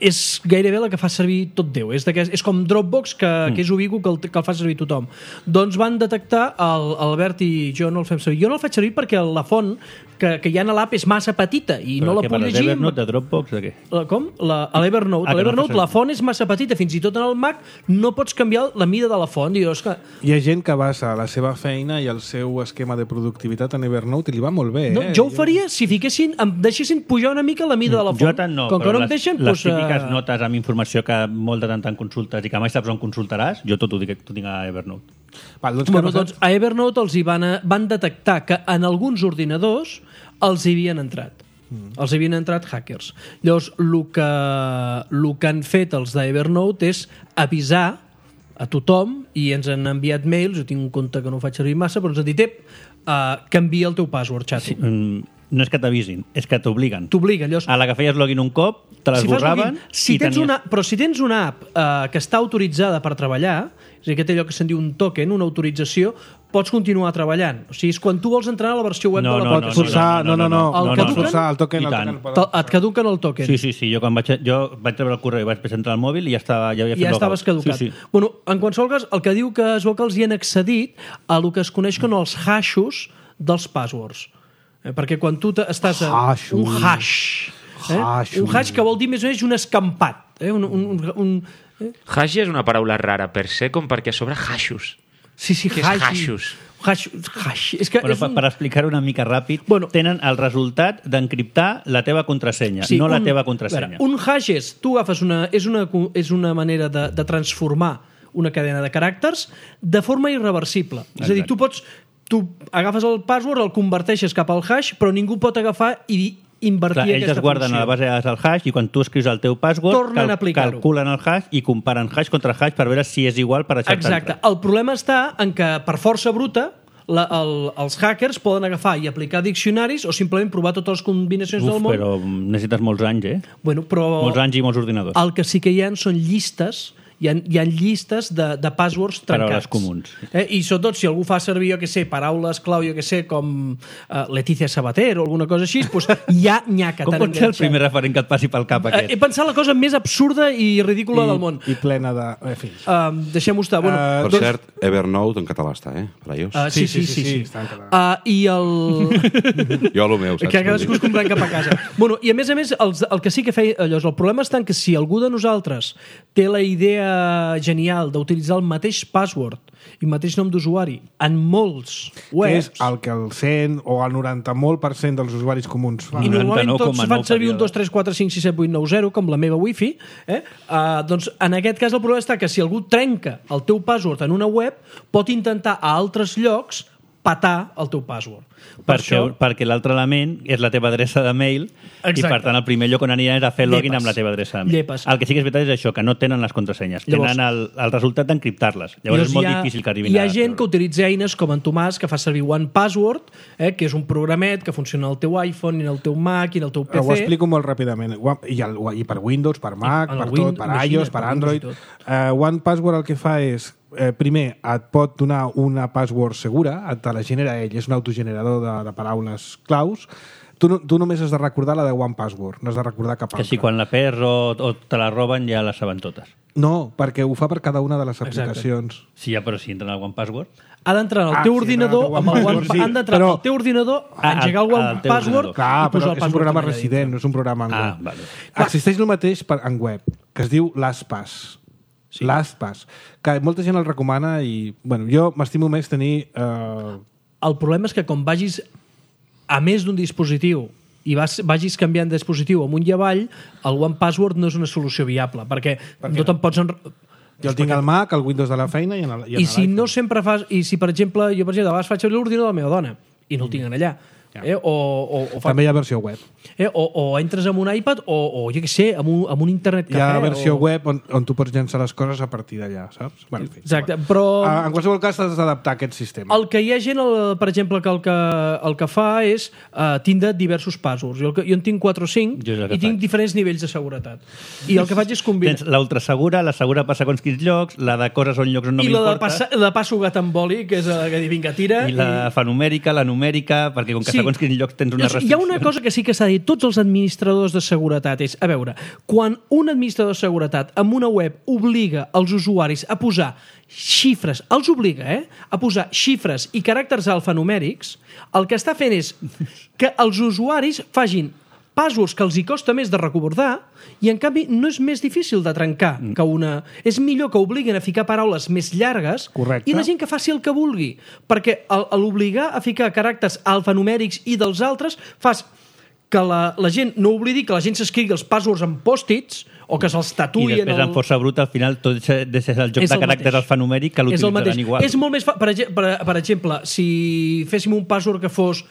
és gairebé la que fa servir tot Déu. És, és com Dropbox, que, mm. que és ubicu, que el, que el fa servir tothom. Doncs van detectar, el, el Albert i jo no el fem servir. Jo no el faig servir perquè la font que, que hi ha a l'app és massa petita i Però no la què puc parles, llegir. d'Evernote, de Dropbox, de què? La, com? La, a l'Evernote. Ah, A que no l'Evernote fa la font és massa petita, fins i tot en el Mac no pots canviar la mida de la font. I jo, és que, Hi ha gent que basa la seva feina i el seu esquema de productivitat en Evernote i li va molt bé. no, eh? jo ho faria si fiquessin, em deixessin pujar una mica la mida de la font. Jo tant no, Com que però no em les, deixen, les doncs, típiques eh, notes amb informació que molt de tant en tant consultes i que mai saps on consultaràs, jo tot ho dic, tot tinc a Evernote. Val, doncs, Bueno, què ha doncs a Evernote els hi van, a, van detectar que en alguns ordinadors els hi havien entrat. Mm. Els hi havien entrat hackers. Llavors, el que, el que han fet els d'Evernote és avisar a tothom, i ens han enviat mails, jo tinc un compte que no faig servir massa, però ens han dit, ep, uh, canvia el teu password, xato. Sí. Mm, no és que t'avisin, és que t'obliguen. T'obliguen. Llavors, A la que feies login un cop, te si fas l'esborraven login, si i tens tenies... una, però si tens una app uh, que està autoritzada per treballar, és a dir, que té allò que se'n diu un token, una autorització, pots continuar treballant. O sigui, és quan tu vols entrar a la versió web No, de la no, Pots forçar... No, no, no. El no, que no, toquen? forçar el token. I El tant. token Te- et caduquen el token. Sí, sí, sí, jo quan vaig, jo vaig treure el correu i vaig presentar el mòbil i ja, estava, ja havia fet Ja logout. estaves caducat. Sí, sí. Bueno, en qualsevol cas, el que diu que es veu que els hi han accedit a el que es coneix com els hashos dels passwords. Eh? Perquè quan tu estàs a Hash, un ui. hash, eh? Hash, un hash que vol dir més o menys un escampat, eh? un, un, un, un... Hash és una paraula rara per ser com perquè a sobre hashos. Sí, sí, Què és hash. hashos? Hash, hash. És que Bueno, és per, un... per explicar-ho una mica ràpid, Bueno. tenen el resultat d'encriptar la teva contrasenya, no la un- teva a contrasenya. veure, un hash és, tu agafes una, és, una, és una manera de, de transformar una cadena de caràcters de forma irreversible. És a dir, Exacte. tu pots tu agafes el password, el converteixes cap al hash, però ningú pot agafar i invertir Clar, ells aquesta es guarden funció. a la base de dades del hash i quan tu escrius el teu password Tornen a aplicar-ho. calculen el hash i comparen hash contra hash per veure si és igual per acceptar. Exacte. El problema està en que, per força bruta, la, el, els hackers poden agafar i aplicar diccionaris o simplement provar totes les combinacions Uf, del món. però necessites molts anys, eh? Bueno, però Molts anys i molts ordinadors. el que sí que hi ha són llistes, hi ha, hi ha llistes de, de passwords trencats. Paraules comuns. Eh? I sobretot si algú fa servir, jo que sé, paraules clau, jo que sé, com uh, Letícia Sabater o alguna cosa així, doncs ja n'hi ha que Com t'han pot ser el enganxat. primer referent que et passi pel cap Eh, aquest? He pensat la cosa més absurda i ridícula I, del món. i plena de... En fi. Uh, Deixem-ho estar. Bueno, Eh, Per doncs- cert, Evernote en català està, eh? Per a iOS. uh, sí, sí, sí. sí, sí. està en català. Uh, I el... Jo, el meu, saps? que cadascú es comprant cap a casa. Bueno, i a més a més, els, el que sí que feia allò, el problema està en que si algú de nosaltres té la idea genial d'utilitzar el mateix password i mateix nom d'usuari en molts Que és webs, el que el cent o el noranta molt per cent dels usuaris comuns fan. i normalment noranta-nou tots coma fan nou servir un període. dos tres quatre cinc sis set vuit nou zero com la meva wifi, eh? uh, doncs en aquest cas el problema està que si algú trenca el teu password en una web pot intentar a altres llocs patar el teu password. Per Perquè, això, perquè l'altre element és la teva adreça de mail Exacte. i per tant el primer lloc on aniran és a fer login Llepes. amb la teva adreça de mail. Llepes. El que sí que és veritat és això, que no tenen les contrasenyes. Llavors- tenen el, el resultat d'encriptar-les. Llavors és molt hi ha, difícil que arribin hi ha a... gent que utilitza eines com en Tomàs, que fa servir OnePassword, eh, que és un programet que funciona al teu iPhone, i en el teu Mac, i en el teu P Ho C. explico molt ràpidament. I, el, I per Windows, per Mac, en el per Win- tot, per imagina't, iOS, per per Android. Windows i Uh, OnePassword el que fa és, eh, primer, et pot donar una password segura, et te la genera ell, és un autogenerador de, de paraules claus. Tu, no, tu només has de recordar la de OnePassword, no has de recordar cap Que altra. si quan la perds o, o te la roben ja la saben totes. No, perquè ho fa per cada una de les Exacte. aplicacions. Sí, ja, però si entren al OnePassword... Ha d'entrar en el Ah, teu sí, ordinador, entrar al amb el OnePassword, One, sí. han d'entrar Però- al teu ordinador, Ah, engegar el al- al teu OnePassword ordinador. Clar, i posar però el és un password programa allà resident, dintre. no és un programa en Ah, web. vale. Existeix el mateix per, en web, que es diu LastPass. Sí. LastPass, que molta gent el recomana i, bueno, jo m'estimo més tenir... Eh, El problema és que com vagis a més d'un dispositiu i vas, vagis canviant de dispositiu amunt i avall, el OnePassword no és una solució viable, perquè no te'n pots... En... jo el tinc al Mac, al Windows de la feina i en el, i en I si l'iPhone. no sempre fas... I si, per exemple, jo, per exemple, a vegades faig servir l'ordinador de la meva dona i no el tinc allà. Eh? O, o, o, fa... També hi ha versió web. eh? o, o entres amb un iPad o, o jo què sé, amb un, amb un internet Hi ha cafè. versió o... web on, on tu pots llançar les coses a partir d'allà, saps? Bueno, en fi, Exacte, igual. però... Ah, en qualsevol cas t'has d'adaptar a aquest sistema. El que hi ha gent, el, per exemple, que el que, el que fa és uh, tindre diversos passwords. Jo, el que, jo en tinc quatre o cinc Jo és el que i tinc faig. diferents nivells de seguretat. I el que faig és combinar. Tens l'ultrasegura, la segura passa a quins llocs, la de coses on llocs on no I la de, m'importa, passa, la de passo gat amb boli, que és la que diu, vinga, tira. i la fanumèrica, la numèrica, perquè com que Sí. segons quins llocs tens una Llavors, restricció. hi ha una cosa que sí que s'ha dit tots els administradors de seguretat és, a veure, quan un administrador de seguretat amb una web obliga els usuaris a posar xifres, els obliga, eh? a posar xifres i caràcters alfanumèrics, el que està fent és que els usuaris facin passwords que els hi costa més de recordar i, en canvi, no és més difícil de trencar que una... És millor que obliguin a ficar paraules més llargues Correcte. i la gent que faci el que vulgui. Perquè el- a l'obligar a ficar caràcters alfanumèrics i dels altres fas que la, la gent no oblidi que la gent s'escrigui els passwords en pòstits o que se'ls I tatuï en després el... en força bruta, al final, tot deixa de ser el joc És de el caràcters mateix. alfanumèric que És el mateix. l'utilitzaran igual. És molt més fa... per, ege- per, per exemple, si féssim un password que fos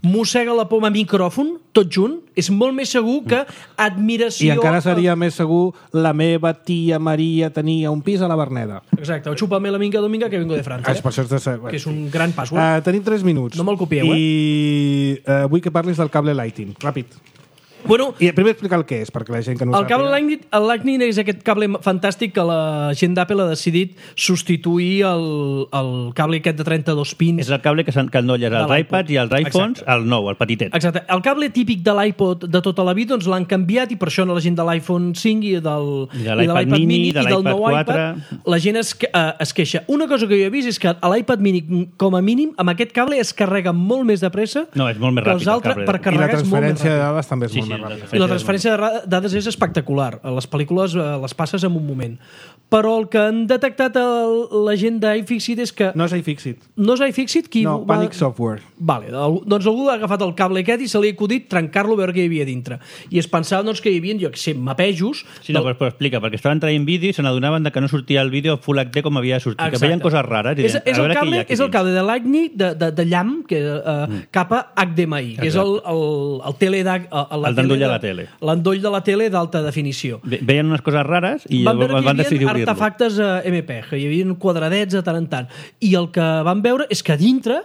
mossega la poma micròfon, tot junt, és molt més segur que admiració... I encara seria més segur la meva tia Maria tenia un pis a la Verneda. Exacte, o chúpame la minga dominga que vengo de França. Ah, és per això has de ser... Que és un gran password. Uh, tenim tres minuts. No me'l copieu, I uh, vull que parlis del cable Lighting. Ràpid. Bueno, I primer explicar el que és, perquè la gent que no ho el cable sàpiga... Lightning, el Lightning és aquest cable fantàstic que la gent d'Apple ha decidit substituir el, el cable aquest de trenta-dos pins. És el cable que s'endolles als De iPads i als iPhones, Exacte. el nou, el petitet. Exacte. El cable típic de l'iPod de tota la vida doncs l'han canviat i per això la gent de l'iPhone cinc i del I de l'iPad mini, mini de i del l'iPad nou quatre. iPad, la gent es, eh, es queixa. Una cosa que jo he vist és que a l'iPad mini, com a mínim, amb aquest cable es carrega molt més de pressa No, és molt més que ràpid els el altres cable. per I la carregar és molt més transferència de ràpid. dades també és Sí, molt sí, més la ràpida. I la transferència de ra- dades és espectacular. Les pel·lícules eh, les passes en un moment. Però el que han detectat el, la gent d'iFixit és que No és iFixit. no és iFixit qui... No, va- Panic Software. Vale, el- doncs algú ha agafat el cable aquest i se li ha acudit trencar-lo a veure què hi havia dintre. I es pensava doncs, que hi havia, jo que sé, mapejos... Sí, no, del- però, però explica, perquè estaven traient vídeo i se n'adonaven de que no sortia el vídeo Full H D com havia de sortir, que Exacte. veien coses rares. I És, deien, és, a el veure què hi cable, ha aquí és el dins. cable de Lightning de, de, de llamp que, uh, mm. cap a H D M I, que és el, el, el tele de, el, El d'endoll de la tele. L'endoll de la tele d'alta definició. Ve- Veien unes coses rares i Van veure van, que van hi decidir havia obrir-lo. artefactes eh, M P E G, hi havia quadradets de tant en tant. I el que van veure és que a dintre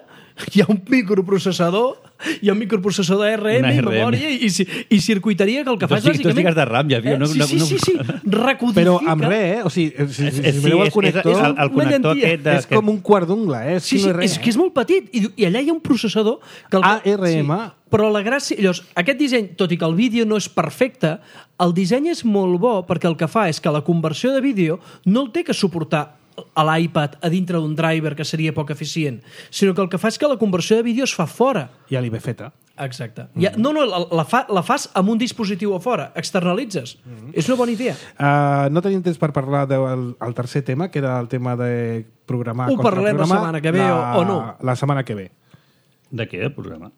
hi ha un microprocessador, hi ha un microprocessador de R M Una i R M. memòria i, i, i circuiteria que el que fa Dos és gigas- dos bàsicament... gigas de RAM, ja, tio, no- sí, no- sí, no- sí, sí, recodifica... Però amb res, eh? O sigui, si, si, És- si mireu el és- connector... és el, el una connector llentia. aquest de... és com un quart d'ungla, eh? És, Sí, que sí, no és res, és que és molt petit i, i allà hi ha un processador que el, A R M. Sí, però la gràcia... Llavors, aquest disseny, tot i que el vídeo no és perfecte, el disseny és molt bo perquè el que fa és que la conversió de vídeo no el té que suportar a l'iPad a dintre d'un driver que seria poc eficient, sinó que el que fa és que la conversió de vídeo es fa fora. Ja li ve feta. Exacte. Mm. Ja, no, no, la, la, fa, la fas amb un dispositiu a fora, externalitzes. Mm. És una bona idea. Uh, no tenim temps per parlar del el tercer tema, que era el tema de programar Ho contra parlarem la programar. setmana que ve la, o- o no? La setmana que ve. De què, el programa?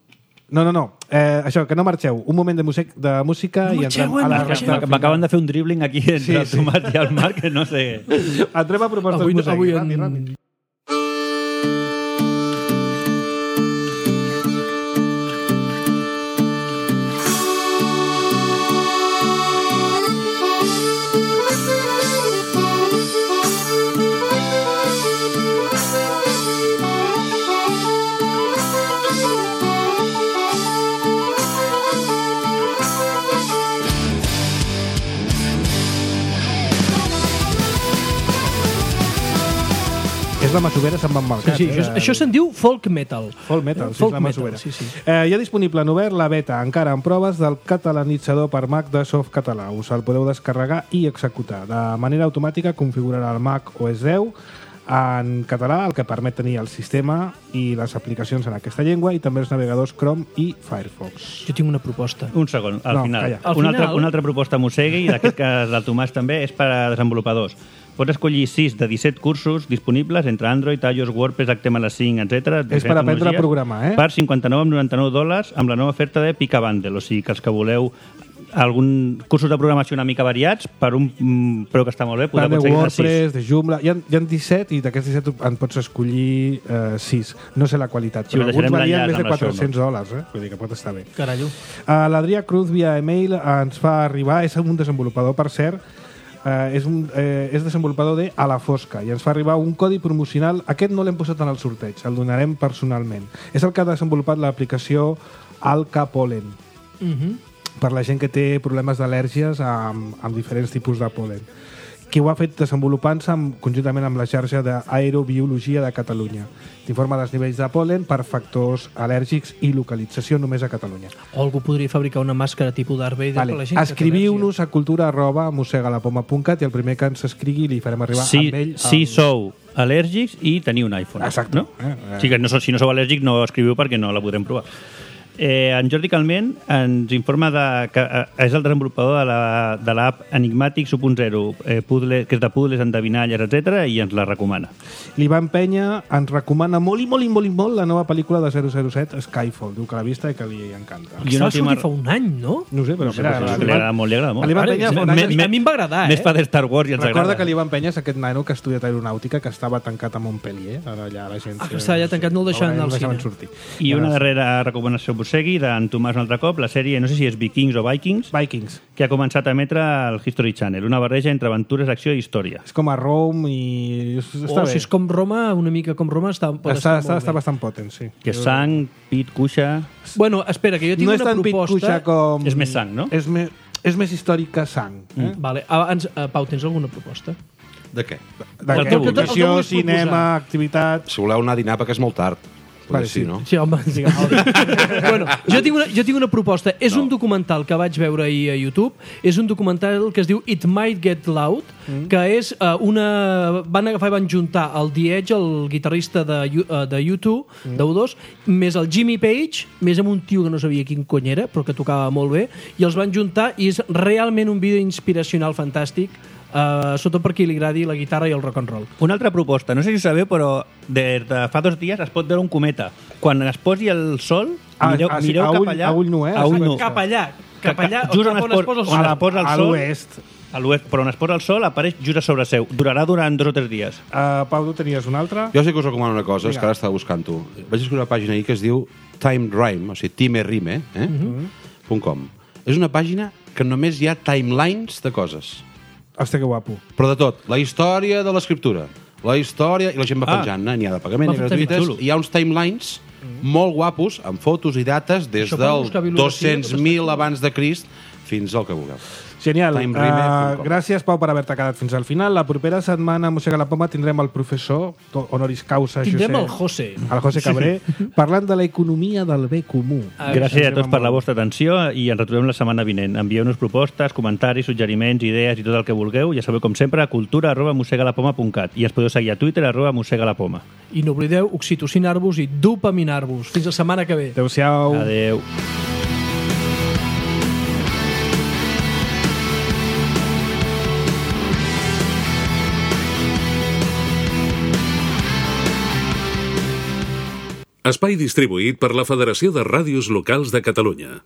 No, no, no. Eh, això, que no marxeu. Un moment de, music, de música No i marxeu, entrem a la no marxeu. resta. M'acaben de fer un dribbling aquí entre Sí, el sí. Tomàs i el Marc, que no sé... Entrem a propostes Avui, musicals. avui Ràpid, en... ràpid. És la masovera se'n va embalcat. Sí, sí, això, això se'n diu folk metal. Folk metal, sí, Folk és la metal, masovera. sí, sí. Eh, hi ha disponible en obert la beta, encara en proves, del catalanitzador per Mac de Softcatalà. Us el podeu descarregar i executar. De manera automàtica configurarà el Mac O S deu en català, el que permet tenir el sistema i les aplicacions en aquesta llengua i també els navegadors Chrome i Firefox. Jo tinc una proposta. Un segon, al No, final. calla. Al una, final- altra, una altra proposta Mosegui, i d'aquest cas del Tomàs també, és per a desenvolupadors. Pots escollir sis de disset cursos disponibles entre Android, iOS, WordPress, H T M L cinc, etcètera. És per aprendre a programar, eh? Per cinquanta-nou coma noranta-nou dòlars amb la nova oferta de Pica Bundle. O sigui que els que voleu algun cursos de programació una mica variats per un mm, preu que està molt bé, podeu Tant de aconseguir sis. WordPress, de Joomla... Hi ha, hi ha disset i d'aquests disset en pots escollir eh, sis. No sé la qualitat, Sí, però us alguns deixarem valien l'enllaç més de amb les quatre-cents dòlars, eh? Vull dir que pot estar bé. Carallo. Uh, L'Adrià Cruz via email ens fa arribar, és un desenvolupador, per cert, uh, és, un, eh, és desenvolupador de A la Fosca i ens fa arribar un codi promocional. Aquest no l'hem posat en el sorteig, el donarem personalment. És el que ha desenvolupat l'aplicació Alka Pollen, Mhm. per la gent que té problemes d'al·lèrgies amb, amb diferents tipus de pol·len, que ho ha fet desenvolupant-se amb, conjuntament amb la xarxa d'Aerobiologia de Catalunya. T'informa dels nivells de pol·len per factors al·lèrgics i localització només a Catalunya. O algú podria fabricar una màscara tipus Darth Vader Vale. per la gent que té Escriviu-nos a cultura arroba mosegalapoma punt cat i el primer que ens escrigui li farem arribar Si, amb ell... si el- sou al·lèrgics i teniu un iPhone. Exacte. No? Eh, eh. O sigui que no, so- si no sou al·lèrgics no escriviu perquè no la podrem provar. Eh, en Jordi Calment ens informa de, que eh, és el desenvolupador de la- de l'app la, Enigmàtics u punt zero, eh, puzzle, que és de puzzles, endevinalles, etcètera, i ens la recomana. L'Ivan Penya ens recomana molt i molt i molt i molt la nova pel·lícula de zero zero set, Skyfall. Diu que l'ha vista i que li encanta. Aquesta va sortir fa un any, no? No ho sé, però No sé, mira, però sí, l'Ivan- li agrada molt, li agrada molt. a l'Ivan Ara, Penya fa un a, any... mi, a mi em va agradar, Més eh? fa de Star Wars i ens Recorda agrada. que l'Ivan Penya és aquest nano que ha estudiat aeronàutica que estava tancat a Montpellier, ara allà a l'agència... Ah, que estava allà tancat, no el deixaven no anar al deixaven cine. sortir. I una darrera recomanació Musegui, d'en Tomàs un altre cop, la sèrie, no sé si és Vikings o Vikings, Vikings. que ha començat a emetre al History Channel, una barreja entre aventures, acció i història. És com a Rome i... Està O bé. si és com Roma, una mica com Roma, està, pot Està, estar, està, molt està bé. bastant potent, sí. Que és sang, pit, cuixa... Bueno, espera, que jo tinc No és una tan proposta... pitcuixa com... És més sang, no? És, me... és més històric que sang. Eh? Vale, abans, uh, Pau, tens alguna proposta? De què? De El que vulguis. educació, El que vulguis cinema, proposar. activitat... Si voleu anar a dinar, perquè és molt tard. Vale, Sí, sí. no? Sí, home, sí, bueno, jo tinc una, jo tinc una proposta. És no. un documental que vaig veure ahir a YouTube. És un documental que es diu It Might Get Loud, mm. que és uh, una... Van agafar i van juntar el The Edge, el guitarrista de, uh, de U dos, mm. de U dos, més el Jimmy Page, més amb un tio que no sabia quin cony era, però que tocava molt bé, i els van juntar i és realment un vídeo inspiracional fantàstic, Uh, sobretot per qui li agradi la guitarra i el rock and roll. Una altra proposta, no sé si ho sabeu, però des de fa dos dies es pot veure un cometa. Quan es posi el sol, Ah, mireu, ah, sí, mireu a cap ull- allà... a ull nu, eh? A ull nu. Cap allà, cap allà, Just cap on es posa el on sol. es posa el A sol, l'oest. a l'oest, però on es posa el sol apareix just a sobre seu. Durarà durant dos o tres dies. Uh, Pau, tu tenies una altra? Jo sí que us recomano una cosa, és Vinga. que ara estava buscant-ho. Vaig escriure una pàgina ahir que es diu Time Rime, o sigui, time rime, eh? Mhm. .com. És una pàgina que només hi ha timelines de coses. Hòstia, que guapo. Però de tot. La història de l'escriptura, la història... I la gent va Ah. penjant, eh? N'hi ha de pagament, Va i fer gratuïtes. xulo. I hi ha uns timelines molt guapos, amb fotos i dates, des Això per del buscar bibliografia, dos-cents mil abans de Crist fins al que vulgueu. Genial. Timerime punt com. Uh, gràcies, Pau, per haver-te quedat fins al final. La propera setmana a Mossega la Poma tindrem el professor to- honoris causa Tindrem Josep, el José. el José Cabré, parlant de l'economia del bé comú. Ah, Gràcies a tots per la molt. vostra atenció i ens retrobem la setmana vinent. Envieu-nos propostes, comentaris, suggeriments, idees i tot el que vulgueu. Ja sabeu, com sempre, a cultura arroba mossegalapoma punt cat i ens podeu seguir a Twitter arroba mossegalapoma. I no oblideu oxitocinar-vos i dopaminar-vos. Fins la setmana que ve. Adéu-siau. Adeu. Espai distribuït per la Federació de Ràdios Locals de Catalunya.